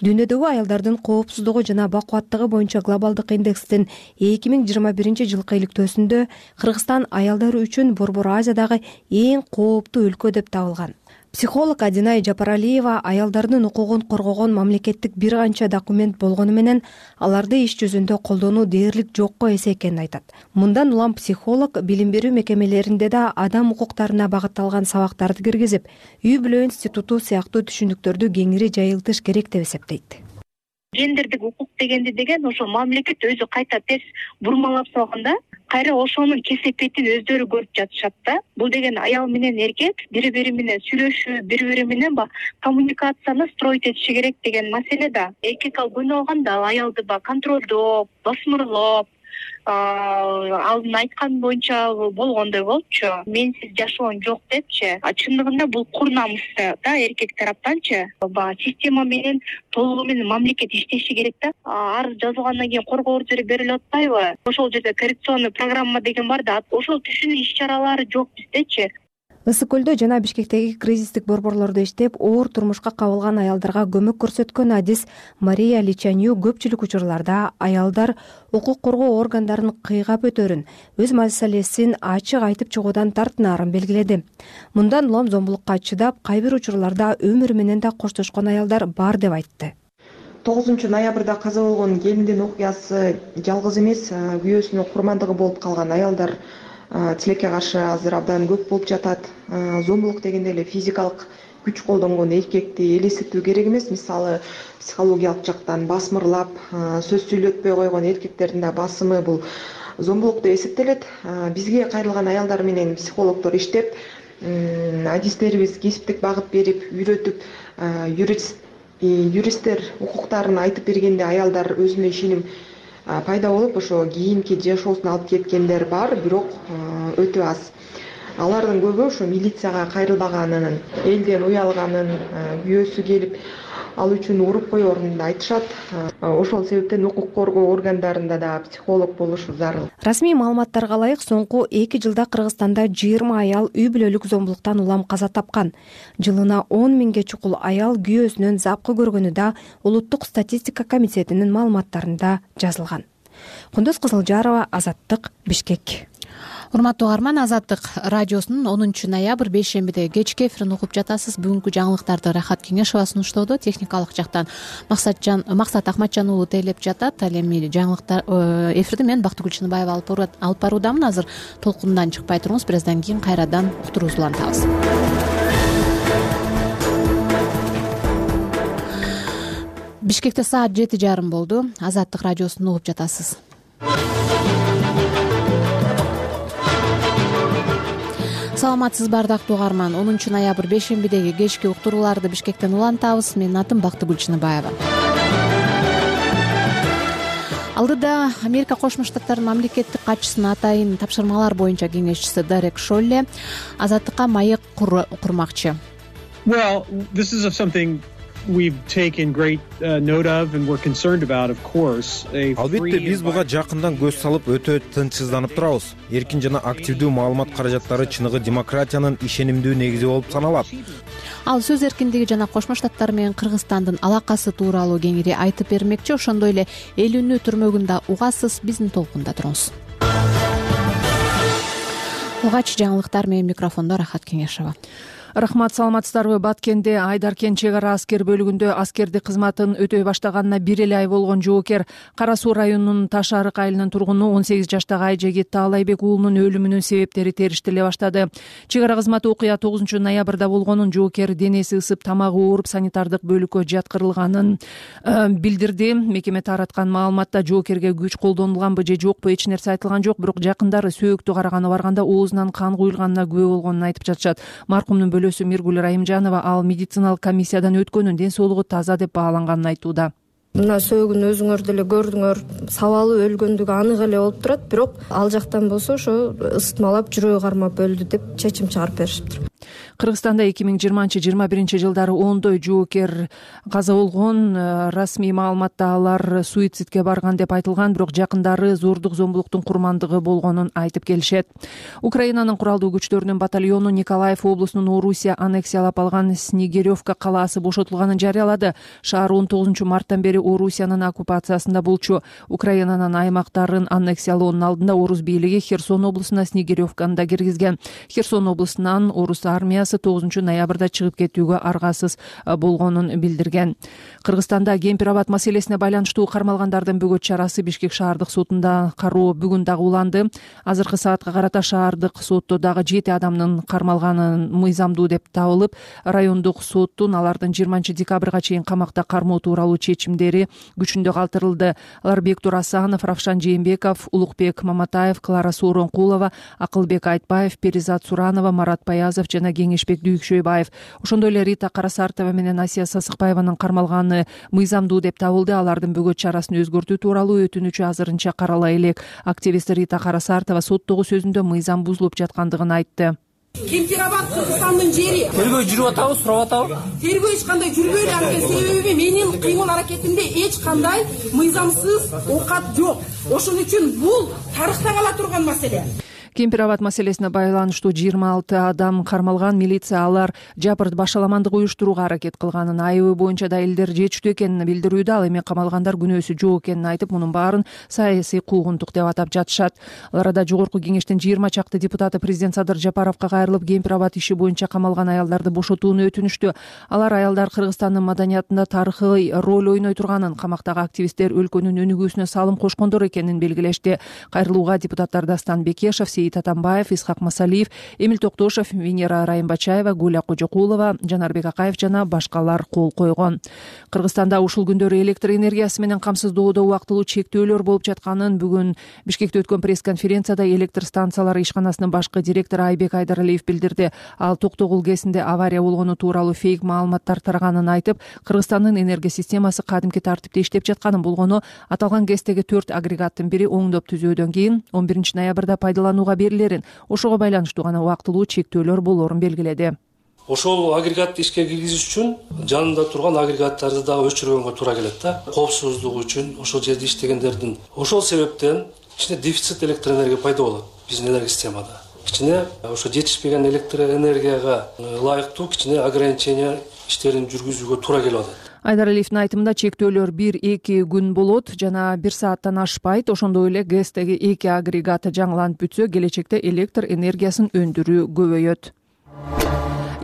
Дүйнөдөгү аялдардын коопсуздугу жана бакубаттыгы боюнча глобалдык индекстин эки миң жыйырма биринчи жылкы иликтөөсүндө Кыргызстан аялдары үчүн Борбор Азиядагы эң кооптуу өлкө деп табылган. Психолог Адинай Жапаралиева аялдардын укугун коргогон мамлекеттик бир канча документ болгону менен аларды иш жүзүндө колдонуу дээрлик жокко эсе экенин айтат. Мындан улам психолог билим берүү мекемелеринде да адам укуктарына багытталган сабактарды киргизип, үй бүлө институту сыяктуу түшүнүктөрдү кеңири жайылтыш керек деп эсептейт.
Гендердик укук дегенди деген ошо мамлекет өзү кайта терс бурмалап салганда, кайра ошонун кесепетин өздөрү көрүп жатышат да. Бул деген аял менен эркек бири бири менен сүйлөшүү, бири бири менен ба коммуникацияны строить этиши керек деген маселе да. Эркек ал кыйналганда ал аялды ба контролдоп, басмырлап, алдын айткан боюнча болгондой болчу. Менсиз жашоон жок депчи. А чындыгында бул кур намыс да эркек тараптанчы. Ба система менен толугу менен мамлекет иштеши керек да. Арыз жазылгандан кийин коргоо ордери берилип атпайбы? Ошол жерде коррекционный программа деген бар да. Ошол түшүнүү иш-чаралары жок биздечи.
Ысык көлдө жана Бишкектеги кризистик борборлордо иштеп, оор турмушка кабылган аялдарга көмөк көрсөткөн адис Мария Личанью көпчүлүк учурларда аялдар укук коргоо органдарын кыйгап өтөрүн, өз маселесин ачык айтып чыгуудан тартынаарын белгиледи. Мындан улам зомбулукка чыдап, кай бир учурларда өмүрү менен да коштошкон аялдар бар деп айтты.
тогузунчу ноябрда каза болгон келиндин окуясы жалгыз эмес, күйөөсүнүн курмандыгы болуп калган аялдар тилекке каршы азыр абдан көп болуп жатат. Зомбулук дегенде эле физикалык күч колдонгон эркекти элестетүү керек эмес. Мисалы, психологиялык жактан басмырлап, сөз сүйлөтпөй койгон эркектердин да басымы бул зомбулук деп эсептелет. Бизге кайрылган аялдар менен психологдор иштеп, адистерибиз кесиптик багыт берип, үйрөтүп, юрист юристтер укуктарын айтып бергенде аялдар өзүнө ишеним
пайда болуп ошо кийинки жашоосун алып кеткендер бар, бирок өтө аз. Алардын көбү ошо милицияга кайрылбаганын, элден уялганын, күйөөсү келип ал үчүн уруп коерун айтышат. Ошол себептен укук коргоо органдарында да психолог болушу зарыл.
Расмий маалыматтарга ылайык, соңку эки жылда Кыргызстанда жыйырма аял үй бүлөлүк зомбулуктан улам каза тапкан. Жылына он миңге чукул аял күйөөсүнөн запкы көргөнү да Улуттук статистика комитетинин маалыматтарында жазылган. Кундуз Кызылжарова, Азаттык, Бишкек.
Урматтуу угарман, Азаттык радиосунун онунчу ноябрь бейшембиде кечки эфирин угуп жатасыз. Бүгүнкү жаңылыктарды Рахат Кеңешова сунуштоодо, техникалык жактан Максатжан Максат Ахматжан уулу тейлеп жатат. Ал эми жаңылыктар эфирди мен Бактыгүл Чыныбаева алып баруудамын. Азыр толкундан чыкпай туруңуз, бир аздан кийин кайрадан уктуруубузду улантабыз. Бишкекте саат жети жарым болду. Азаттык радиосун угуп жатасыз. Саламатсызбы ардактуу угарман. онунчу ноябрь бейшембидеги кечки уктурууларды Бишкектен улантабыз. Менин атым Бактыгүл Чыныбаева. Алдыда Америка Кошмо Штаттарынын мамлекеттик катчысынын атайын тапшырмалар боюнча кеңешчиси Дерек Шолле Азаттыкка маек курмакчы.
Well, this is something we've taken great uh, note of and we're concerned about, of course.
Албетте биз буга жакындан көз салып өтө тынчсызданып турабыз. Эркин жана активдүү маалымат каражаттары чыныгы демократиянын ишенимдүү негизи болуп саналат.
Ал сөз эркиндиги жана Кошмо Штаттар менен Кыргызстандын алакасы тууралуу кеңири айтып бермекчи. Ошондой эле эл үнү түрмөгүндө угасыз, биздин толкунда туруңуз. Угач жаңылыктар менен микрофондо Рахат Кеңешова.
Рахмат, саламатсыздарбы? Баткенде Айдаркен чек ара аскер бөлүгүндө аскердик кызматын өтөй баштаганына бир эле ай болгон жоокер Кара Суу районунун Таш Арык айылынын тургуну он сегиз жаштагы Айжегит Таалайбек уулунун өлүмүнүн себептери териштириле баштады. Чек ара кызматы окуя тогузунчу ноябрда болгонун, жоокер денеси ысып, тамагы ооруп, санитардык бөлүккө жаткырылганын билдирди. Мекеме тараткан маалыматта жоокерге күч колдонулганбы же жокпу эч нерсе айтылган жок, бирок жакындары сөөктү караганга барганда оозунан кан куюлганына күбө болгонун айтып жатышат. Маркумдун Миргүл Райымжанова ал медициналык комиссиядан өткөнүн, ден соолугу таза деп бааланганын айтууда.
Мына сөөгүн өзүңөр деле көрдүңөр, сабалы өлгөндүгү анык эле болуп турат, бирок ал жактан болсо ошо ысытмалап, жүрөгү кармап өлдү деп чечим чыгарып беришиптир.
Кыргызстанда эки миң жыйырманчы жыйырма биринчи жылдары ондой жоокер каза болгон. Расмий маалыматта алар суицидке барган деп айтылган, бирок жакындары зордук зомбулуктун курмандыгы болгонун айтып келишет. Украинанын куралдуу күчтөрүнүн батальону Николаев облусунун Орусия аннексиялап алган Снегиревка калаасы бошотулганын жарыялады. Шаар он тогузунчу марттан бери Орусиянын оккупациясында болчу. Украинанын аймактарын аннексиялоонун алдында орус бийлиги Херсон облусуна Снегиревканы да киргизген. Херсон облусунан орус армиясы тогузунчу ноябрда чыгып кетүүгө аргасыз болгонун билдирген. Кыргызстанда Кемпир абад маселесине байланыштуу кармалгандардын бөгөт чарасы Бишкек шаардык сотунда кароо бүгүн дагы уланды. Азыркы саатка карата шаардык сотто дагы жети адамдын кармалганын мыйзамдуу деп табылып, райондук соттун алардын жыйырманчы декабрга чейин камакта кармоо тууралуу чечимдери күчүндө калтырылды. Алар Бектур Асанов, Равшан Жээнбеков, Улукбек Маматаев, Клара Сооронкулова, Акылбек Айтбаев, Перизат Суранова, Марат Баязов жана Кеңешбек Дүйүкшөйбаев. Ошондой эле Рита Карасартова менен Асия Сасыкбаеванын кармалганы мыйзамдуу деп табылды. Алардын бөгөт чарасын өзгөртүү тууралуу өтүнүчү азырынча карала элек. Активист Рита Карасартова соттогу сөзүндө мыйзам бузулуп жаткандыгын айтты.
Кемпир абад Кыргызстандын жери.
Тергөө жүрүп атабы, сурап атабы?
Тергөө эч кандай жүрбөйлү, анткени себеби менин кыймыл аракетимде эч кандай мыйзамсыз оокат жок. Ошон үчүн бул тарыхта кала турган маселе.
Кемпир абад маселесине байланыштуу жыйырма алты адам кармалган. Милиция алар жабырт башаламандык уюштурууга аракет кылганын, айыбы боюнча далилдер жетиштүү экенин билдирүүдө. Ал эми камалгандар күнөөсү жок экенин айтып, мунун баарын саясий куугунтук деп атап жатышат. Аларда жогорку кеңештин жыйырма чакты депутаты президент Садыр Жапаровго кайрылып, Кемпир абад иши боюнча камалган аялдарды бошотууну өтүнүштү. Алар аялдар Кыргызстандын маданиятында тарыхый роль ойной турганын, камактагы активисттер өлкөнүн өнүгүүсүнө салым кошкондор экенин белгилешти. Кайрылууга депутаттар Дастан Бекешев, Сейит Атамбаев, Исхак Масалиев, Эмил Токтошев, Венера Райымбачаева, Гуля Кожокулова, Жанарбек Акаев жана башкалар кол койгон. Кыргызстанда ушул күндөрү электр энергиясы менен камсыздоодо убактылуу чектөөлөр болуп жатканын бүгүн Бишкекте өткөн пресс-конференцияда электр станциялары ишканасынын башкы директору Айбек Айдаралиев билдирди. Ал Токтогул ГЭСинде авария болгону тууралуу фейк маалыматтар тараганын айтып, Кыргызстандын энергия системасы кадимки тартипте иштеп жатканын болгону, аталган ГЭСтеги төрт агрегаттын бири оңдоп түзөөдөн кийин он биринчи ноябрда пайдаланууга берилерин, ошого байланыштуу гана убактылуу чектөөлөр болорун белгиледи.
Ошол агрегатты ишке киргизиш үчүн жанында турган агрегаттарды дагы өчүргөнгө туура келет да. Коопсуздук үчүн ошол жерде иштегендердин ошол себептен кичине дефицит электр энергия пайда болот биздин энергия системада. Кичине ошо жетишпеген электр энергияга ылайыктуу кичине ограничение иштерин жүргүзүүгө туура келип атат.
Айдаралиевдин айтымында чектөөлөр бир-эки күн болот жана бир сааттан ашпайт. Ошондой эле ГЭСтеги эки агрегат жаңыланып бүтсө, келечекте электр энергиясын өндүрүү көбөйөт.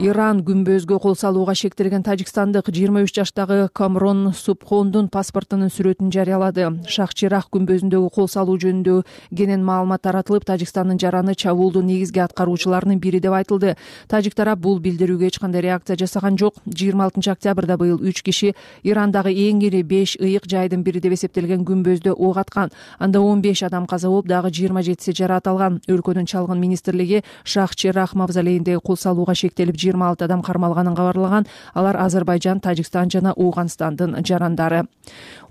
Иран күмбөзгө кол салууга шектелген тажикстандык жыйырма үч жаштагы Камрон Субхондун паспортунун сүрөтүн жарыялады. Шах-Чирах күмбөзүндөгү кол салуу жөнүндө кенен маалымат таратылып, Тажикстандын жараны чабуулдун негизги аткаруучуларынын бири деп айтылды. Тажик тарап бул билдирүүгө эч кандай реакция жасаган жок. жыйырма алтынчы октябрда быйыл үч киши Ирандагы эң ири беш ыйык жайдын бири деп эсептелген күмбөздө ок аткан. Анда он беш адам каза болуп, дагы жыйырма жетиси жараат алган. Өлкөнүн чалгын министрлиги Шах-Чирах мавзолейиндеги кол салууга шектелип жыйырма алты адам кармалганын кабарлаган. Алар Азербайжан, Тажикстан жана Ооганстандын жарандары.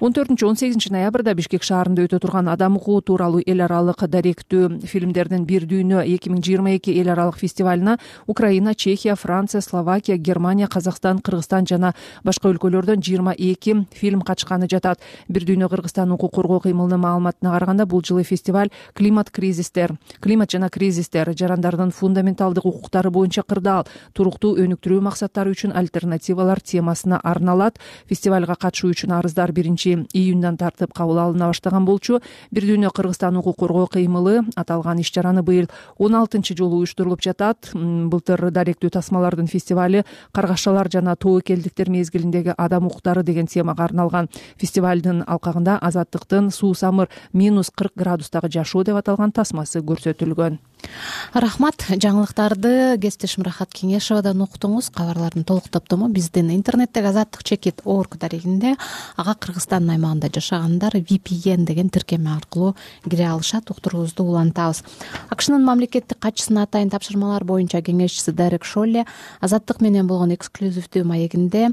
он төртүнчү он сегизинчи ноябрда Бишкек шаарында өтө турган адам укугу тууралуу эл аралык даректүү фильмдердин бир дүйнө эки миң жыйырма эки эл аралык фестивалына Украина, Чехия, Франция, Словакия, Германия, Казакстан, Кыргызстан жана башка өлкөлөрдөн жыйырма эки фильм катышканы жатат. Бир дүйнө Кыргызстан укук коргоо кыймылынын маалыматына караганда, бул жылы фестиваль климат кризистер, климат жана кризистер, жарандардын фундаменталдык укуктары боюнча кырдаал, туруктуу өнүктүрүү максаттары үчүн альтернативалар темасына арналат. Фестивалга катышуу үчүн арыздар биринчи июндан тартып кабыл алына баштаган болчу. Бир дүйнө Кыргызстан укук коргоо кыймылы аталган иш чараны быйыл он алтынчы жолу уюштурулуп жатат. Былтыр даректүү тасмалардын фестивали каргашалар жана тобокелдиктер мезгилиндеги адам укуктары деген темага арналган. Фестивалдын алкагында азаттыктын суусамыр минус кырк градустагы жашоо деп аталган тасмасы көрсөтүлгөн.
Рахмат. Жаңылыктарды кесиптешим Рахат Кеңешовадан уктуңуз. Кабарлардын толук топтому биздин интернеттеги азаттык чекит точка орг дарегинде, ага Кыргызстандын аймагында жашагандар ви пи эн деген тиркеме аркылуу кире алышат. Уктуруубузду улантабыз. АКШнын мамлекеттик катчысынын атайын тапшырмалар боюнча кеңешчиси Дерек Шолле азаттык менен болгон эксклюзивдүү маегинде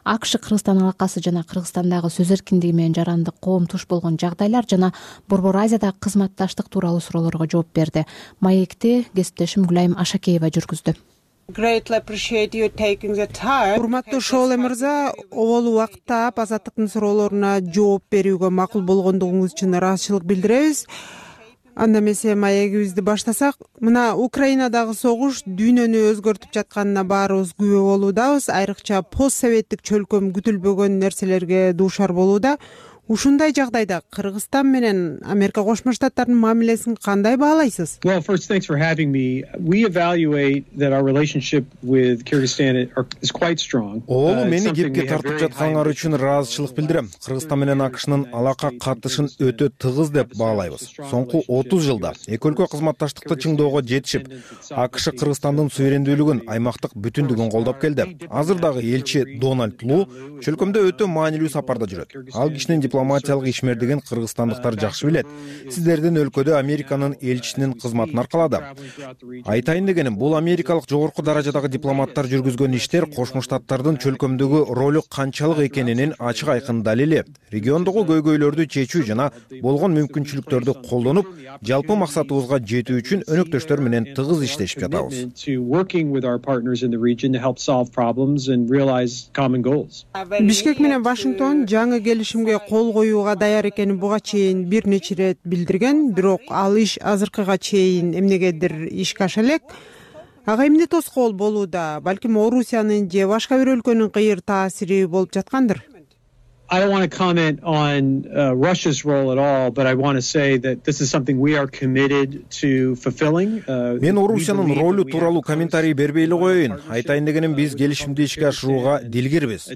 АКШ Кыргызстан алакасы жана Кыргызстандагы сөз эркиндиги менен жарандык коом туш болгон жагдайлар жана Борбор Азиядагы кызматташтык тууралуу суроолорго жооп берди. Маекти кесиптешим Гүлайым Ашакеева жүргүздү.
Урматтуу Шолле мырза, обол убакыт таап азаттыктын суроолоруна жооп берүүгө макул болгондугуңуз үчүн ыраазычылык билдиребиз. Анда эмесе маегибизди баштасак, мына Украинадагы согуш дүйнөнү өзгөртүп жатканына баарыбыз күбө болуудабыз. Айрыкча постсоветтик чөлкөм күтүлбөгөн нерселерге дуушар болууда. Ушундай жагдайда Кыргызстан менен Америка Кошмо Штаттарынын мамилесин кандай баалайсыз?
Well, first, thanks for having me. We evaluate that our relationship with Kyrgyzstan is quite strong.
Оолу мени кепке тартып жатканыңар үчүн ыраазычылык билдирем. Кыргызстан менен АКШнын алака катышын өтө тыгыз деп баалайбыз. Соңку отуз жылда эки өлкө кызматташтыкты чыңдоого жетишип, АКШ Кыргызстандын суверендүүлүгүн, аймактык бүтүндүгүн колдоп келди. Азырдагы элчи Дональд Лу чөлкөмдө өтө маанилүү сапарда жүрөт. Ал кишинин дипломатиялык ишмердигин кыргызстандыктар жакшы билет. Сиздердин өлкөдө Американын элчисинин кызматын аркалады. Айтайын дегеним, бул америкалык жогорку даражадагы дипломаттар жүргүзгөн иштер Кошмо Штаттардын чөлкөмдөгү ролу канчалык экенинин ачык айкын далили. Региондогу көйгөйлөрдү чечүү жана болгон мүмкүнчүлүктөрдү колдонуп, жалпы максатыбызга жетүү үчүн өнөктөштөр менен тыгыз иштешип жатабыз.
Бишкек менен Вашингтон жаңы келишимге кол коюуга даяр экенин буга чейин бир нече ирет билдирген, бирок ал иш азыркыга чейин эмнегедир ишке аша элек. Ага эмне тоскоол болууда? Балким Орусиянын же башка бир өлкөнүн кыйыр таасири болуп жаткандыр?
I don't want to comment on uh, Russia's role at all, but I want to say that this is something we are committed to fulfilling.
Мен Орусиянын ролу тууралуу комментарий бербей эле коеюн. Айтайын дегеним, биз келишимди ишке ашырууга дилгирбиз.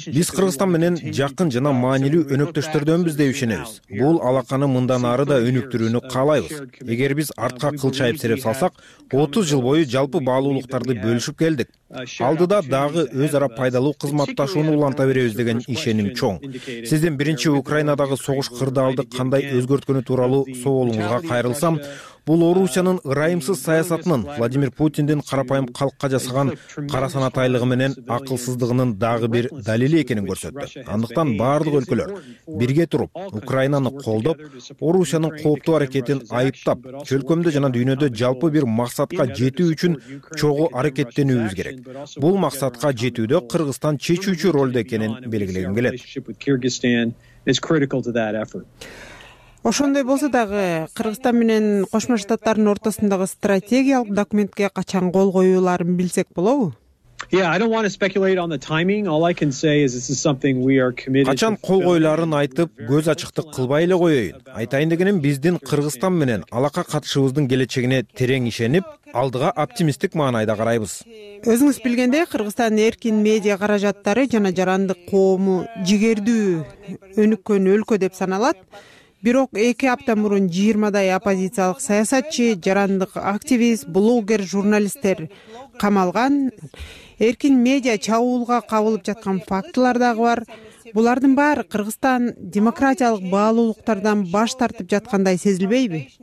Биз Кыргызстан менен жакын жана маанилүү өнөктөштөрдөнбүз деп ишенебиз. Бул алаканы мындан ары да өнүктүрүүнү каалайбыз. Эгер биз артка кылчайып сереп салсак, отуз жыл бою жалпы баалуулуктарды бөлүшүп келдик. Алдыда дагы өз ара пайдалуу кызматташууну уланта беребиз деген ишеним чоң. Сиздин биринчи Украинадагы согуш кырдаалды кандай өзгөрткөнү тууралуу суолуңузга кайрылсам, бул Орусиянын ырайымсыз саясатынын, Владимир Путиндин карапайым калкка жасаган кара санатайлыгы менен акылсыздыгынын дагы бир далили экенин көрсөттү. Андыктан баардык өлкөлөр бирге туруп, Украинаны колдоп, Орусиянын кооптуу аракетин айыптап, чөлкөмдө жана дүйнөдө жалпы бир максатка жетүү үчүн чогуу аракеттенүүбүз керек. Бул максатка жетүүдө Кыргызстан чечүүчү ролдо экенин белгилегим келет.
Ошондой болсо дагы Кыргызстан менен Кошмо Штаттардын ортосундагы стратегиялык документке качан кол коюуларын билсек болобу?
Yeah, I don't want to speculate on the timing. All I can say is this is something we are committed.
Качан кол коюларын айтып, көз ачыктык кылбай эле коеюн. Айтайын дегеним, биздин Кыргызстан менен алака катышыбыздын келечегине терең ишенип, алдыга оптимисттик маанайда карайбыз.
Өзүңүз билгендей, Кыргызстан эркин медиа каражаттары жана жарандык коому жигердүү өнүккөн өлкө деп саналат. Бирок эки апта мурун жыйырмадай оппозициялык саясатчы, жарандык активист, блогер, журналисттер камалган. Эркин медиа чабуулга кабылып жаткан фактылар дагы бар. Булардын баары Кыргызстан демократиялык баалуулуктардан баш тартып жаткандай сезилбейби?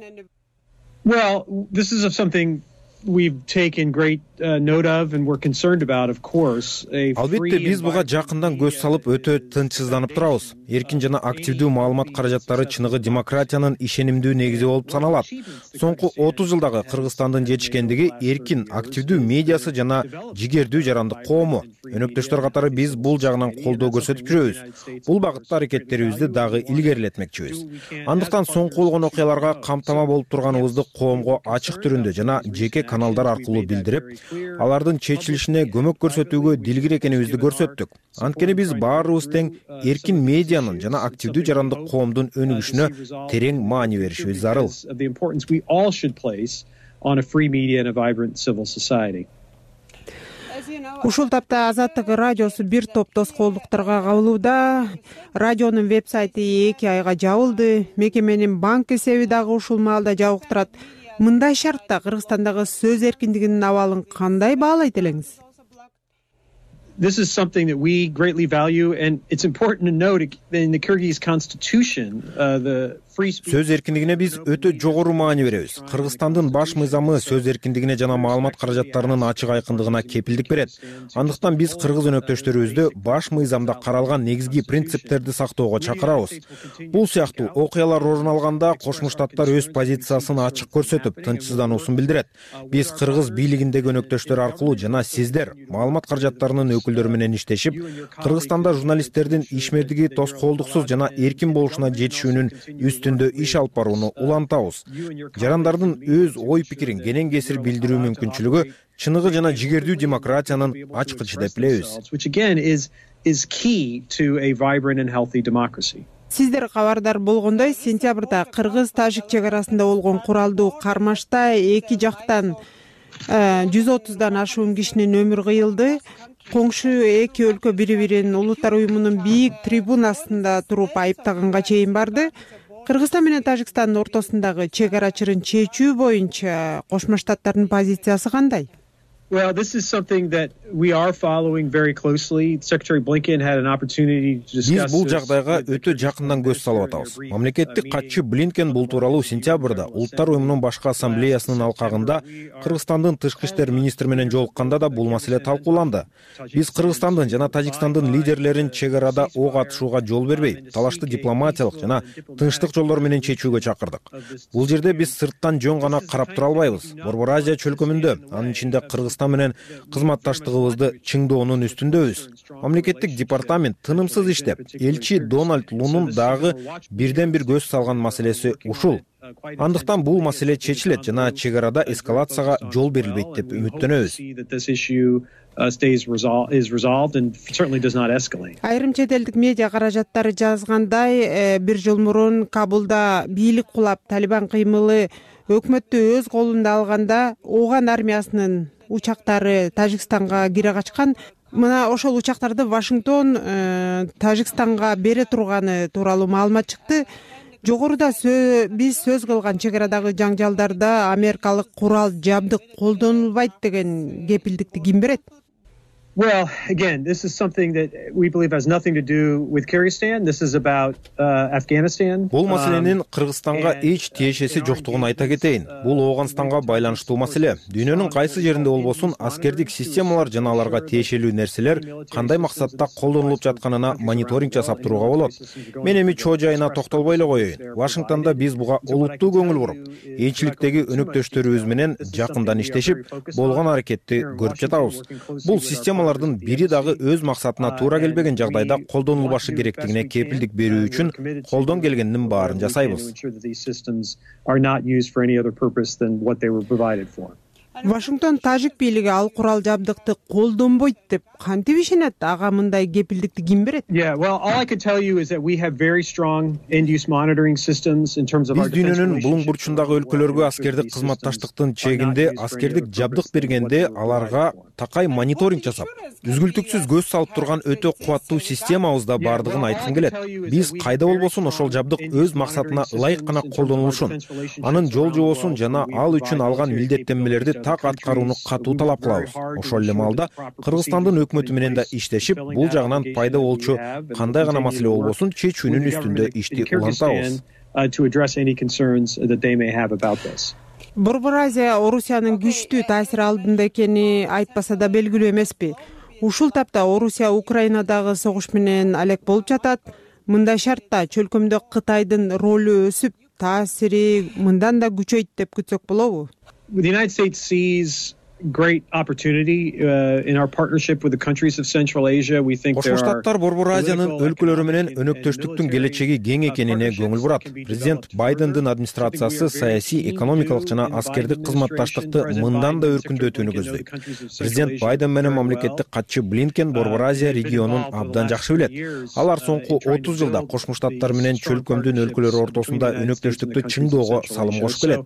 Well, this is something we've taken great uh, note of and we're concerned about, of course.
Албетте, биз буга жакындан көз салып өтө тынчсызданып турабыз. Эркин жана активдүү маалымат каражаттары чыныгы демократиянын ишенимдүү негизи болуп саналат. Соңку отуз жылдагы Кыргызстандын жетишкендиги эркин, активдүү медиасы жана жигердүү жарандык коому. Өнөктөштөр катары биз бул жагынан колдоо көрсөтүп жүрөбүз. Бул багытта аракеттерибизди дагы илгерилетмекчибиз. Андыктан соңку болгон окуяларга камтама болуп турганыбызды коомго ачык түрүндө жана жеке каналдар аркылуу билдирип, алардын чечилишине көмөк көрсөтүүгө дилгир экенибизди көрсөттүк. Анткени биз баарыбыз тең эркин медианын жана активдүү жарандык коомдун өнүгүшүнө терең маани беришибиз зарыл.
Ушул тапта Азаттык радиосу бир топ тоскоолдуктарга кабылууда. Радионун веб-сайты эки айга жабылды. Мекеменин банк эсеби дагы ушул маалда жабык турат. Мындай шартта Кыргызстандагы сөз эркиндигинин абалын кандай баалайт элеңиз?
This is something that we greatly value, and it's important to note in the Kyrgyz constitution, uh, the free speech.
Сөз эркиндигине биз өтө жогору маани беребиз. Кыргызстандын баш мыйзамы сөз эркиндигине жана маалымат каражаттарынын ачык айкындыгына кепилдик берет. Андыктан биз кыргыз өнөктөштөрүбүздү баш мыйзамда каралган негизги принциптерди сактоого чакырабыз. Бул сыяктуу окуялар орун алганда Кошмо Штаттар өз позициясын ачык көрсөтүп, тынчсыздануусун билдирет. Биз кыргыз бийлигиндеги өнөктөштөр аркылуу жана сиздер маалымат каражаттарынын өкүлдөрү менен иштешип, Кыргызстанда журналисттердин ишмердиги тоскоолдуксуз жана эркин болушуна жетишүүнүн үстүндө иш алып барууну улантабыз. Жарандардын өз ой пикирин кенен кесир билдирүү мүмкүнчүлүгү чыныгы жана жигердүү демократиянын ачкычы деп билебиз.
Сиздер кабардар болгондой, сентябрда кыргыз-тажик чек арасында болгон куралдуу кармашта эки жактан жүз отуздан ашуун кишинин өмүрү кыйылды. Коңшу эки өлкө бири-бирин улуттар уюмунун бийик трибунасында туруп айыптаганга чейин барды. Кыргызстан менен Тажикстандын ортосундагы чек ара чырын чечүү боюнча Кошмо Штаттардын позициясы кандай?
Well, this is something that we are following very closely. Secretary Blinken had an opportunity to discuss.
Биз бул жагдайга өтө жакындан көз салып атабыз. Мамлекеттик катчы Блинкен бул тууралуу сентябрда Улуттар уюмунун башкы ассамблеясынын алкагында Кыргызстандын тышкы иштер министри менен жолукканда да бул маселе талкууланды. Биз Кыргызстандын жана Тажикстандын лидерлерин чек арада ок атышууга жол бербей, талашты дипломатиялык жана тынчтык жолдор менен чечүүгө чакырдык. Бул жерде биз сырттан жөн гана карап тура албайбыз. Борбор Азия чөлкөмүндө, анын ичинде Кыргызстан менен кызматташтыгыбызды чыңдоонун үстүндөбүз. Мамлекеттик департамент тынымсыз иштеп, элчи Дональд Лунун дагы бирден бир көз салган маселеси ушул. Андыктан бул маселе чечилет жана чек арада эскалацияга жол берилбейт деп үмүттөнөбүз.
stays resolved is resolved and certainly does not escalate.
Айрым чет элдик медиа каражаттары жазгандай, бир жыл мурун Кабулда бийлик кулап Талибан кыймылы өкмөттү өз колунда алганда Ооган армиясынын учактары Тажикстанга кире качкан. Мына ошол учактарды Вашингтон Тажикстанга бере турганы тууралуу маалымат чыкты. Жогоруда биз сөз кылган чек арадагы жаңжалдарда америкалык курал жабдык колдонулбайт деген кепилдикти ким берет?
Well, again, this is something that we believe has nothing to do with Kyrgyzstan. This is about uh, Afghanistan.
Бул маселенин Кыргызстанга эч тиешеси жоктугун айта кетейин. Бул Ооганстанга байланыштуу маселе. Дүйнөнүн кайсы жеринде болбосун аскердик системалар жана аларга тиешелүү нерселер кандай максатта колдонулуп жатканына мониторинг жасап турууга болот. Мен эми чоо жайына токтолбой эле коеюн. Вашингтондо биз буга олуттуу көңүл буруп, элчиликтеги өнөктөштөрүбүз менен жакындан иштешип, болгон аракетти көрүп жатабыз. Бул система бири дагы өз максатына туура келбеген жагдайда колдонулбашы керектигине кепилдик берүү үчүн колдон келгендин баарын жасайбыз.
Вашингтон тажик бийлиги ал курал жабдыкты колдонбойт деп кантип ишенет? Ага мындай кепилдикти ким берет?
Yeah, well, all I can tell you is that we have very strong end-use monitoring systems in terms of our
defense relationship. Биз дүйнөнүн булуң бурчундагы өлкөлөргө аскердик кызматташтыктын чегинде аскердик жабдык бергенде аларга такай мониторинг жасап, үзгүлтүксүз көз салып турган өтө кубаттуу системабызда бардыгын айткым келет. Биз кайда болбосун ошол жабдык өз максатына ылайык гана колдонулушун, анын жол жобосун жана ал үчүн алган милдеттенмелерди так аткарууну катуу талап кылабыз. Ошол эле маалда Кыргызстандын өкмөтү менен да иштешип, бул жагынан пайда болчу кандай гана маселе болбосун чечүүнүн үстүндө ишти улантабыз.
Борбор Азия Орусиянын күчтүү таасири алдында экени айтпаса да белгилүү эмеспи? Ушул тапта Орусия Украинадагы согуш менен алек болуп жатат. Мындай шартта чөлкөмдө Кытайдын ролу өсүп, таасири мындан да күчөйт деп күтсөк болобу?
The United States sees great opportunity uh, in our partnership with the countries of Central Asia. We think there are
Кошмо Штаттар Борбор Азиянын өлкөлөрү менен өнөктөштүктүн келечеги кең экенине көңүл бурат. Президент Байдендин администрациясы саясий, экономикалык жана аскердик кызматташтыкты мындан да өркүндөтүүнү көздөйт. Президент Байден менен мамлекеттик катчы Блинкен Борбор Азия регионун абдан жакшы билет. Алар соңку отуз жылда Кошмо Штаттар менен чөлкөмдүн өлкөлөрү ортосунда өнөктөштүктү чыңдоого салым кошуп келет.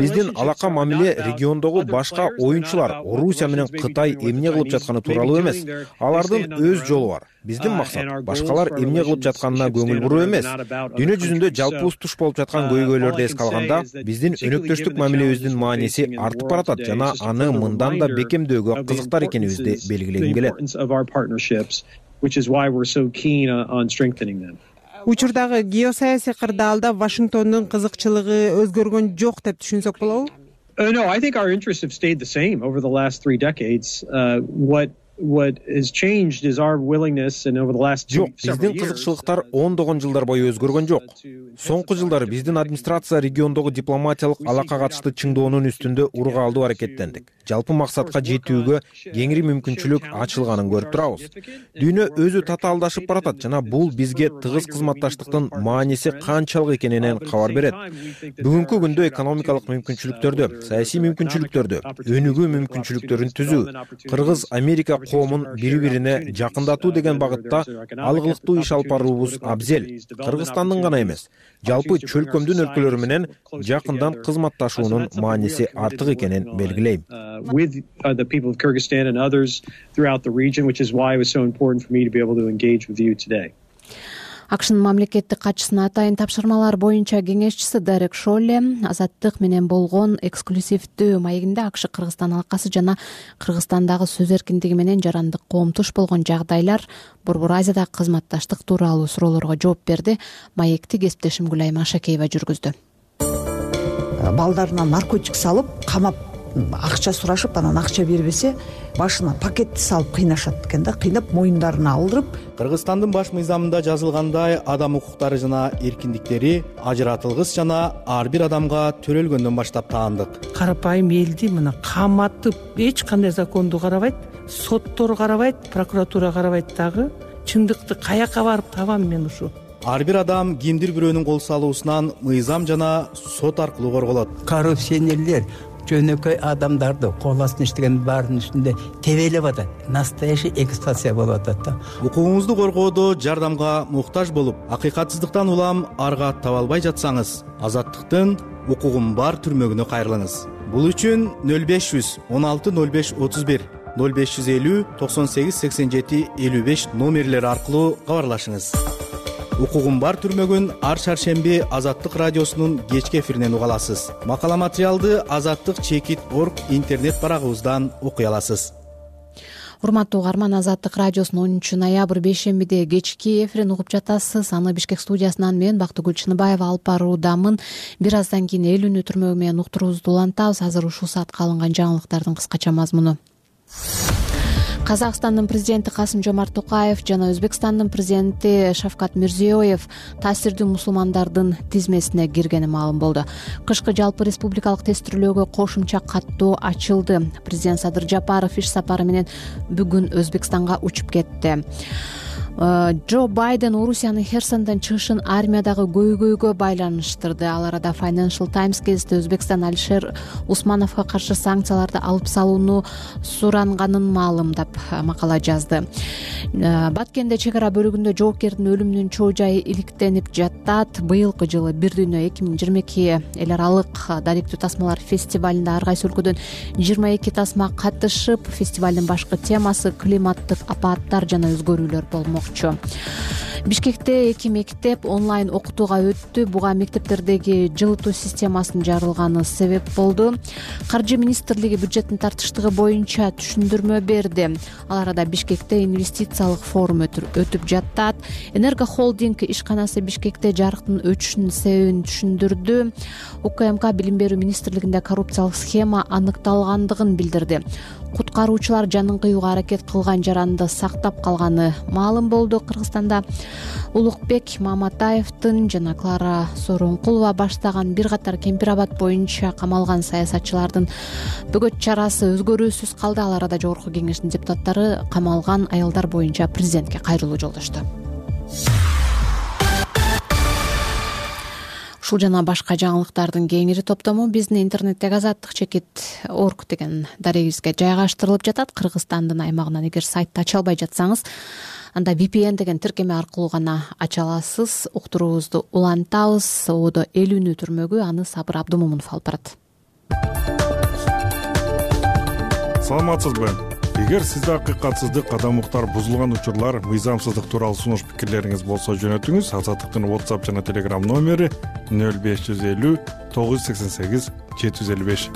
Биздин алака мамиле региондогу башка оюнчу Орусия менен Кытай эмне кылып жатканы тууралуу эмес. Алардын өз жолу бар. Биздин максат башкалар эмне кылып жатканына көңүл буруу эмес. Дүйнө жүзүндө жалпыбыз туш болуп жаткан көйгөйлөрдү эске алганда, биздин өнөктөштүк мамилебиздин мааниси артып баратат жана аны мындан да бекемдөөгө кызыктар экенибизди белгилегим келет.
Учурдагы геосаясий кырдаалда Вашингтондун кызыкчылыгы өзгөргөн жок деп түшүнсөк болобу?
Uh, no, I think our interests have stayed the same over the last three decades. Uh, what What has changed is our willingness, and over the last two
Жок, биздин кызыкчылыктар ондогон жылдар бою өзгөргөн жок. Соңку жылдары биздин администрация региондогу дипломатиялык алака катышты чыңдоонун үстүндө ургаалдуу аракеттендик. Жалпы максатка жетүүгө кеңири мүмкүнчүлүк ачылганын көрүп турабыз. Дүйнө өзү татаалдашып баратат жана бул бизге тыгыз кызматташтыктын мааниси канчалык экенинен кабар берет. Бүгүнкү күндө экономикалык мүмкүнчүлүктөрдү, саясий мүмкүнчүлүктөрдү, өнүгүү мүмкүнчүлүктөрүн түзүү, Кыргыз Америка коомун бири-бирине жакындатуу деген багытта алгылыктуу иш алып баруубуз абзел. Кыргызстандын гана эмес, жалпы чөлкөмдүн өлкөлөрү менен жакындан кызматташуунун мааниси артык экенин белгилейм.
With the people of Kyrgyzstan and others throughout the region, which is why it was so important for me to be able to engage with you today.
Акшнын мамлекеттик катчысынын атайын тапшырмалар боюнча кеңешчиси Дерек Шолле Азаттык менен болгон эксклюзивдүү маегинде АКШ Кыргызстан алакасы жана Кыргызстандагы сөз эркиндиги менен жарандык коомдуш болгон жагдайлар, Борбор Азиядагы кызматташтык тууралуу суроолорго жооп берди. Маекти кесиптешим Гүлайым Ашакеева жүргүздү.
Балдарына наркотик салып, камап акча сурашып, анан акча бербесе, башына пакетти салып кыйнашат экен да, кыйнап моюндарына алдырып.
Кыргызстандын баш мыйзамында жазылгандай адам укуктары жана эркиндиктери ажыратылгыс жана ар бир адамга төрөлгөндөн баштап таандык.
Карапайым элди мына каматып, эч кандай законду карабайт, соттор карабайт, прокуратура карабайт дагы. Чындыкты каяка барып табам мен ушу?
Ар бир адам кимдир бирөөнүн кол салуусунан мыйзам жана сот аркылуу корголот.
Коррупционерлер жөнөкөй адамдарды кол астына иштеген баардын үстүндө тебелеп атат. Настоящий эксплуатация болуп атат да.
Укугуңузду коргоодо жардамга муктаж болуп, акыйкатсыздыктан улам арга таба албай жатсаңыз, Азаттыктын укугум бар түрмөгүнө кайрылыңыз. Бул үчүн нөл беш жүз он алты нөл беш отуз бир нөл беш жүз элүү токсон сегиз сексен жети элүү беш номерлери аркылуу кабарлашыңыз. Укугум бар түрмөгүн ар шаршемби Азаттык радиосунун кечки эфиринен уга аласыз. Макала материалды азаттык чекит точка орг интернет барагыбыздан окуй аласыз.
Урматтуу угарман, Азаттык радиосунун онунчу ноябрь бейшембиде кечки эфирин угуп жатасыз. Аны Бишкек студиясынан мен Бактыгүл Чыныбаева алып баруудамын. Бир аздан кийин элүүнү түрмөгү менен уктуруубузду улантабыз. Азыр ушул саатка алынган жаңылыктардын кыскача мазмуну. Казакстандын президенти Касым-Жомарт Токаев жана Өзбекстандын президенти Шавкат Мирзиёев таасирдүү мусулмандардын тизмесине киргени маалым болду. Кышкы жалпы республикалык тестирлөөгө кошумча каттоо ачылды. Президент Садыр Жапаров иш сапары менен бүгүн Өзбекстанга учуп кетти. Джо Байден Орусиянын Херсондон чыгышын армиядагы көйгөйгө байланыштырды. Ал арада Financial Times гезити Өзбекстан Алишер Усмановго каршы санкцияларды алып салууну суранганын маалымдап макала жазды. Баткенде чек ара бөлүгүндө жоокердин өлүмүнүн чоо жайы иликтенип жатат. Быйылкы жылы Бир дүйнө эки миң жыйырма эки эл аралык даректүү тасмалар фестивалында ар кайсы өлкөдөн жыйырма эки тасма катышып, фестивалдын башкы темасы климаттык апааттар жана өзгөрүүлөр болмок. Бишкекте эки мектеп онлайн окутууга өттү. Буга мектептердеги жылытуу системасынын жарылганы себеп болду. Каржы министрлиги бюджеттин тартыштыгы боюнча түшүндүрмө берди. Ал арада Бишкекте инвестициялык форум өтүп жатат. Энерго холдинг ишканасы Бишкекте жарыктын өчүшүнүн себебин түшүндүрдү. УКМК билим берүү министрлигинде коррупциялык схема аныкталгандыгын билдирди. Куткаруучулар жанын кыюуга аракет кылган жаранды сактап калганы маалым болду. Кыргызстанда Улукбек Маматаевдин жана Клара Сооронкулова баштаган бир катар Кемпир абад боюнча камалган саясатчылардын бөгөт чарасы өзгөрүүсүз калды. Ал арада Жогорку Кеңештин депутаттары камалган аялдар боюнча президентке кайрылуу жолдошту. Ушул жана башка жаңылыктардын кеңири топтому биздин интернеттеги азаттык чекит точка орг деген дарегибизге жайгаштырылып жатат. Кыргызстандын аймагынан эгер сайтты ача албай жатсаңыз, анда ви пи эн деген тиркеме аркылуу гана ача аласыз. Уктуруубузду улантабыз. Ободо элүүнү түрмөгү аны Сабыр Абдымомунов алып барат.
Саламатсызбы? Эгер сизде акыйкатсыздык, адам укуктар бузулган учурлар, мыйзамсыздык тууралуу сунуш пикирлериңиз болсо жөнөтүңүз. Азаттыктын WhatsApp жана Telegram номери нөл беш жүз элүү тогуз жүз сексен сегиз жети жүз элүү беш.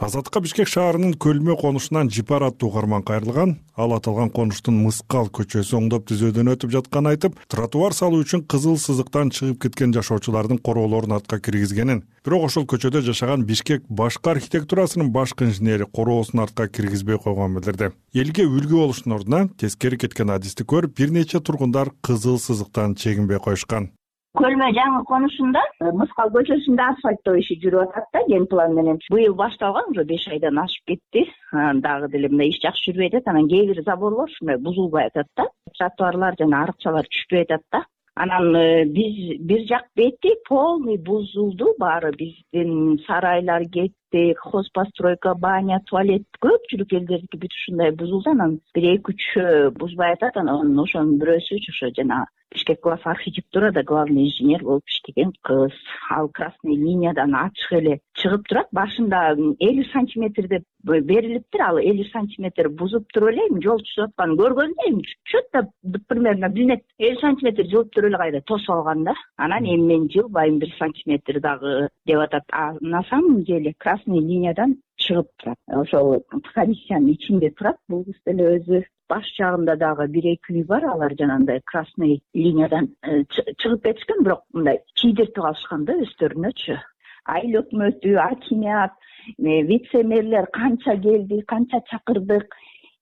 Азаттыкка Бишкек шаарынын Көлмө конушунан Жипар аттуу угарман кайрылган. Ал аталган конуштун Мыскал көчөсү оңдоп түзөөдөн өтүп жатканын айтып, тротуар салуу үчүн кызыл сызыктан чыгып кеткен жашоочулардын короолорун артка киргизгенин, бирок ошол көчөдө жашаган Бишкек башкы архитектурасынын башкы инженери короосун артка киргизбей койгонун билдирди. Элге үлгү болуштун ордуна тескери кеткен адисти көрүп, бир нече тургундар кызыл сызыктан чегинбей коюшкан.
Көлмө жаңы конушунда Мыскал көчөсүндө асфальттоо иши жүрүп атат да, ген план менен. Быйыл башталган, уже беш айдан ашып кетти. Дагы деле мындай иш жакшы жүрбөй атат. Анан кээ бир заборлор ушундай бузулбай атат да. Тротуарлар жана арыкчалар түшпөй атат да. Анан биз бир жак бети полный бузулду баары. Биздин сарайлар кетти, хозпостройка, баня, туалет, көпчүлүк элдердики бүт ушундай бузулду. Анан бир эки үч бузбай атат. Анан ошонун бирөөсү ошо жана Бишкек глав архитектурада главный инженер болуп иштеген кыз. Ал красный линиядан ачык эле чыгып турат. Башында элүү сантиметр деп берилиптир. Ал элүү сантиметр бузуп туруп эле жол түзүп атканын көргөндө чөт примерно билинет. элүү сантиметр жылып туруп эле кайда тосуп алган да. Анан эми мен жылбайм бир сантиметр дагы деп атат. А на самом деле красный линиядан чыгып турат. Ошол комиссиянын ичинде турат. Бул кыз деле өзү баш жагында дагы бир эки үй бар, алар жанагындай красный линиядан чыгып кетишкен, бирок мындай чийдиртип алышкан да өздөрүнөчү. Айыл өкмөтү, акимият, вице-мэрлер канча келди, канча чакырдык,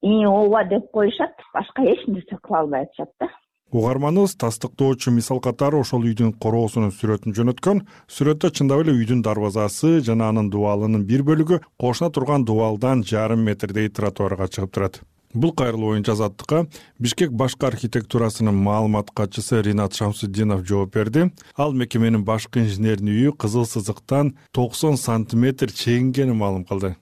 и ооба деп коюшат, башка эч нерсе кыла албай атышат да.
Угарманыбыз тастыктоочу мисал катары ошол үйдүн короосунун сүрөтүн жөнөткөн. Сүрөттө чындап эле үйдүн дарбазасы жана анын дубалынын бир бөлүгү кошуна турган дубалдан жарым метрдей тротуарга чыгып турат. Бул кайрылуу боюнча Азаттыкка Бишкек башкы архитектурасынын маалымат катчысы Ринат Шамсутдинов жооп берди. Ал мекеменин башкы инженеринин үйү кызыл сызыктан токсон сантиметр чегингенин маалым кылды.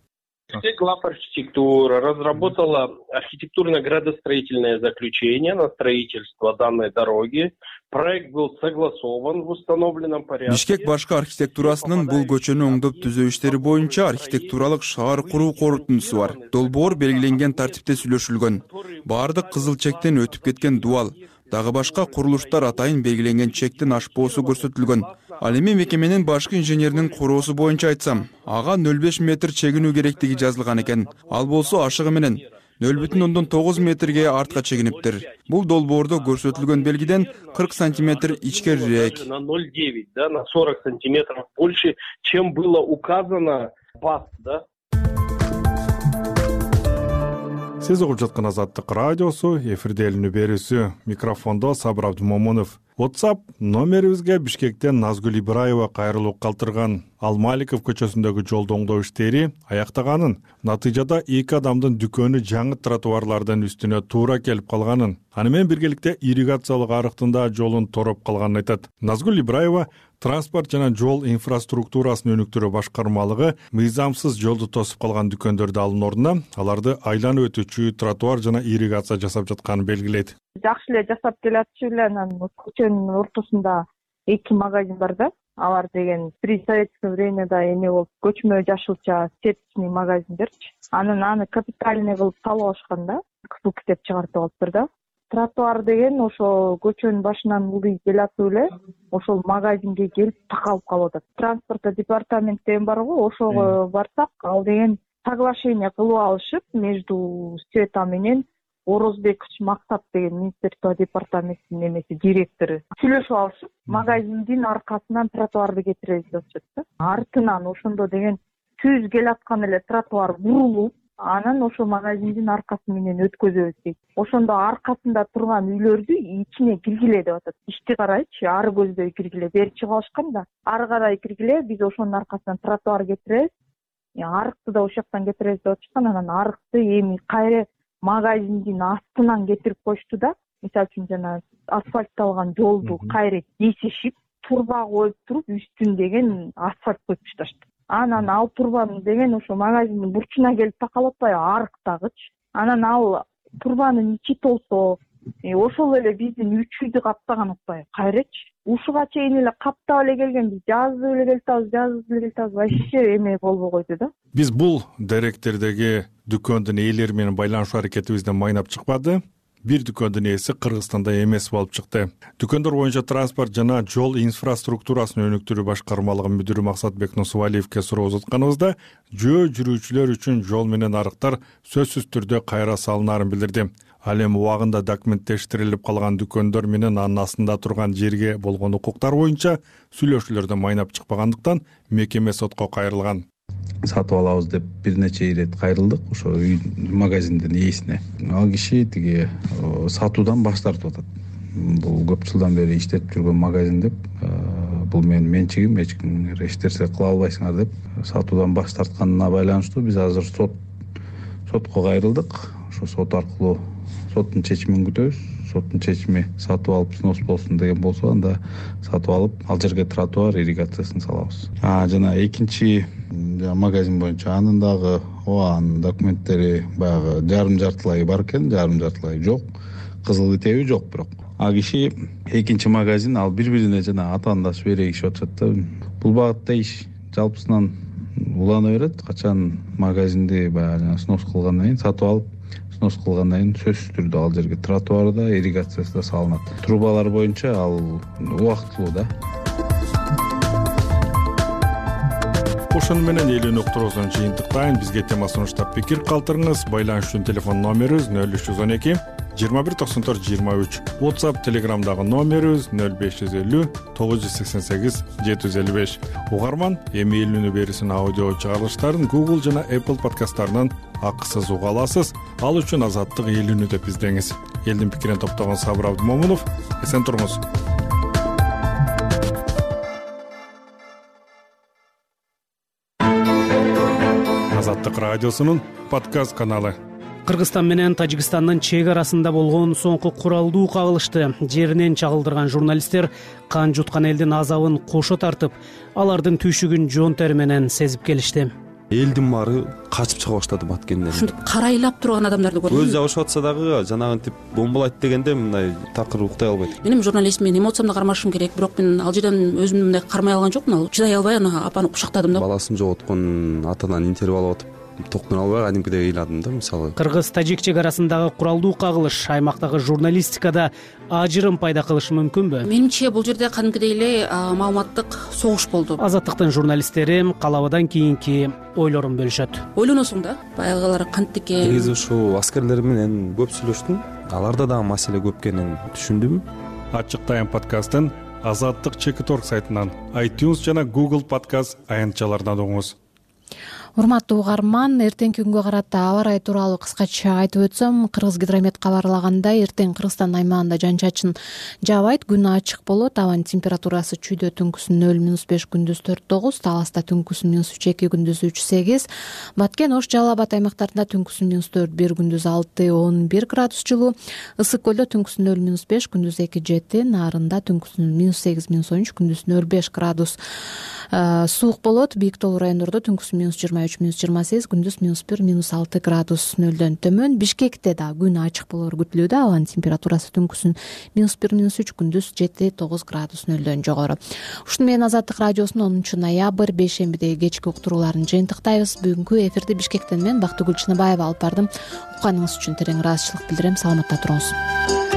Главархитектура разработала архитектурно-градостроительное заключение на строительство данной дороги. Проект был согласован в установленном порядке.
Бишкек башкы архитектурасынын бул көчөнү оңдоп түзөө иштери боюнча архитектуралык шаар куруу корутундусу бар. Долбоор белгиленген тартипте сүйлөшүлгөн. Баардык кызыл чектен өтүп кеткен дуал, дагы башка курулуштар атайын белгиленген чектен ашпоосу көрсөтүлгөн. Ал эми мекеменин башкы инженеринин короосу боюнча айтсам, ага нөл беш метр чегинүү керектиги жазылган экен. Ал болсо ашыгы менен нөл бүтүн ондон тогуз метрге артка чегиниптир. Бул долбоордо көрсөтүлгөн белгиден кырк сантиметр ичкерирээк.
На ноль целых девять, да, на сорок сантиметров больше, чем было указано ПАС, да.
Сиз угуп жаткан Азаттык радиосу, эфирде элинүү берүүсү. Микрофондо Сабыр Абдымомунов. WhatsApp номерибизге Бишкектен Назгүл Ибраева кайрылуу калтырган. Ал Маликов көчөсүндөгү жолду оңдоо иштери аяктаганын, натыйжада эки адамдын дүкөнү жаңы тротуарлардын үстүнө туура келип калганын, аны менен биргеликте ирригациялык арыктын да жолун тороп калганын айтат. Назгүл Ибраева транспорт жана жол инфраструктурасын өнүктүрүү башкармалыгы мыйзамсыз жолду тосуп калган дүкөндөрдү алуу ордуна аларды айланып өтүүчү тротуар жана ирригация жасап жатканын белгилейт.
Жакшы эле жасап келатчу эле, анан көчөнүн ортосунда эки магазин бар да. Алар деген при советское времяда эме болуп көчмө жашылча сеточный магазиндерчи. Анан аны капитальный кылып салып алышкан да. Кызыл китеп чыгартып алыптыр да. Тротуар деген ошо көчөнүн башынан улдый келатып эле ошол магазинге келип такалып калып атат. Транспорт департамент деген бар го, ошого барсак, ал деген соглашение кылып алышып между Света менен Орозбекович Максат деген министерство департаментинин эмеси директору сүйлөшүп алышып, магазиндин аркасынан тротуарды кетиребиз деп атышат да. Артынан ошондо деген түз келаткан эле тротуар бурулуп, анан ошо магазиндин аркасы менен өткөзөбүз дейт. Ошондо аркасында турган үйлөрдү ичине киргиле деп атат. Ишти карайчы, ары көздөй киргиле, бери чыгып алышкан да. Ары карай киргиле, биз ошонун аркасынан тротуар кетиребиз. Арыкты да ошол жактан кетиребиз деп атышкан. Анан арыкты эми кайра магазиндин астынан кетирип коюшту да. Мисалы үчүн жана асфальтталган жолду кайра кесишип, турба коюп туруп, үстүн деген асфальт коюп ташташты. Анан ал турбаны деген ошо магазиндин бурчуна келип такалып атпайбы, арыктагычы. Анан ал турбанын ичи толсо, ошол эле биздин үч үйдү каптаган атпайбы, кайрачы. Ушуга чейин эле каптап эле келген, биз жазып эле келатабыз, жазып эле келатабыз, вообще эме болбой койду да.
Биз бул деректердеги дүкөндүн ээлери менен байланышуу аракетибизден майнап чыкпады. Бир дүкөндүн ээси Кыргызстанда эмес болуп чыкты. Дүкөндөр боюнча транспорт жана жол инфраструктурасын өнүктүрүү башкармалыгынын мүдүрү Максатбек Нусубалиевке суроо узатканыбызда жөө жүрүүчүлөр үчүн жол менен арыктар сөзсүз түрдө кайра салынаарын билдирди. Ал эми убагында документтештирилип калган дүкөндөр менен анын астында турган жерге болгон укуктар боюнча сүйлөшүүлөрдөн майнап чыкпагандыктан мекеме сотко кайрылган.
Сатып алабыз деп бир нече ирет кайрылдык ошо үй магазиндин ээсине. Ал киши тиги сатуудан баш тартып атат. Бул көп жылдан бери иштетип жүргөн магазин деп, бул менин менчигим, эч ким эч нерсе кыла албайсыңар деп сатуудан баш тартканына байланыштуу биз азыр сот сотко кайрылдык. Ошо сот аркылуу соттун чечимин күтөбүз. Соттун чечими сатып алып снос болсун деген болсо, анда сатып алып ал жерге тротуар ирригациясын салабыз. А жана экинчи магазин боюнча анын дагы оанын документтери баягы жарым жартылай бар экен, жарым жартылай жок. Кызыл китеби жок бирок. А киши экинчи магазин ал бири-бирине жана атаандашып эрегишип атышат да. Бул багытта иш жалпысынан улана берет. Качан магазинди баягы снос кылгандан кийин сатып алып снос кылгандан кийин сөзсүз түрдө ал жерге тротуар да, ирригациясы да салынат. Трубалар боюнча ал убактылуу да.
Ошону менен элүүнү уктуруусун жыйынтыктайын. Бизге тема сунуштап пикир калтырыңыз. Байланыш үчүн телефон номерибиз нөл үч жүз он эки жыйырма бир токсон төрт жыйырма үч. WhatsApp, Telegramдагы номерибиз нөл беш жүз элүү тогуз жүз сексен сегиз жети жүз элүү беш. Угарман эми элүүнү берүүсүн аудио чыгарылыштарын Google жана Apple подкасттарынан акысыз уга аласыз. Ал үчүн Азаттык элүүнү деп издеңиз. Элдин пикирин топтогон Сабыр Абдымомунов. Эсен туруңуз. Азаттык радиосунун подкаст каналы.
Кыргызстан менен Тажикстандын чек арасында болгон соңку куралдуу кагылышты жеринен чагылдырган журналисттер кан жуткан элдин азабын кошо тартып, алардын түйшүгүн жон тери менен сезип келишти.
Элдин баары качып чыга баштады Баткенден.
Ушинтип карайлап турган адамдарды көрдүм.
Өз жабышып атса дагы жанагынтип бомбалайт дегенде мындай такыр уктай албайт.
Мен журналист, мен эмоциямды кармашым керек, бирок мен ал жерден өзүмдү мындай кармай алган жокмун. Ал чыдай албай аны апаны кучактадым да.
Баласын жоготкон атанан интервью алып атып токтоно албай кадимкидей ыйладым да. Мисалы
Кыргыз-Тажик чек арасындагы куралдуу кагылыш аймактагы журналистикада ажырым пайда кылышы мүмкүнбү?
Менимче бул жерде кадимкидей эле маалыматтык согуш болду.
Азаттыктын журналисттери калабадан кийинки ойлорун бөлүшөт.
Ойлоносуң да, баягылар кантип экен.
Негизи ушу аскерлер менен көп сүйлөштүм. Аларда дагы маселе көп экенин түшүндүм.
Ачык Тайм подкастын Азаттык Чекит орг сайтынан, iTunes жана Google подкаст аянтчаларынан угуңуз.
Урматтуу угарман, эртеңки күнгө карата аба ырайы тууралуу кыскача айтып өтсөм, Кыргызгидромет кабарлагандай, эртең Кыргызстан аймагында жан-чачын жаабайт, күн ачык болот, абанын температурасы чүйдө түнкүсүн нөл минус беш, күндүз төрт тогуз, Таласта түнкүсүн минус үч эки, күндүз үч сегиз, Баткен, Ош, Жалал Абад аймактарында түнкүсүн минус төрт бир, күндүз алты он бир градус жылуу, Ысык көлдө түнкүсүн нөл минус беш, күндүз эки жети, Нарында түнкүсүн минус сегиз минус он үч, күндүз нөл беш градус суук болот, Бийик Тоолуу райондордо түнкүсүн минус жыйырма үч, минус жыйырма сегиз, күндүз минус бир, минус алты градус нөлдөн төмөн. Бишкекте да күн ачык болоор күтүлүүдө, абанын температурасы түнкүсүн минус бир, минус үч, күндүз жети тогуз градус нөлдөн жогору. Ушуну менен Азаттык радиосунун онунчу ноябрь бейшембидеги кечки уктурууларын жыйынтыктайбыз. Бүгүнкү эфирди Бишкектен мен Бактыгүл Чыныбаева алып бардым. Укканыңыз үчүн терең ыраазычылык билдирем. Саламатта туруңуз.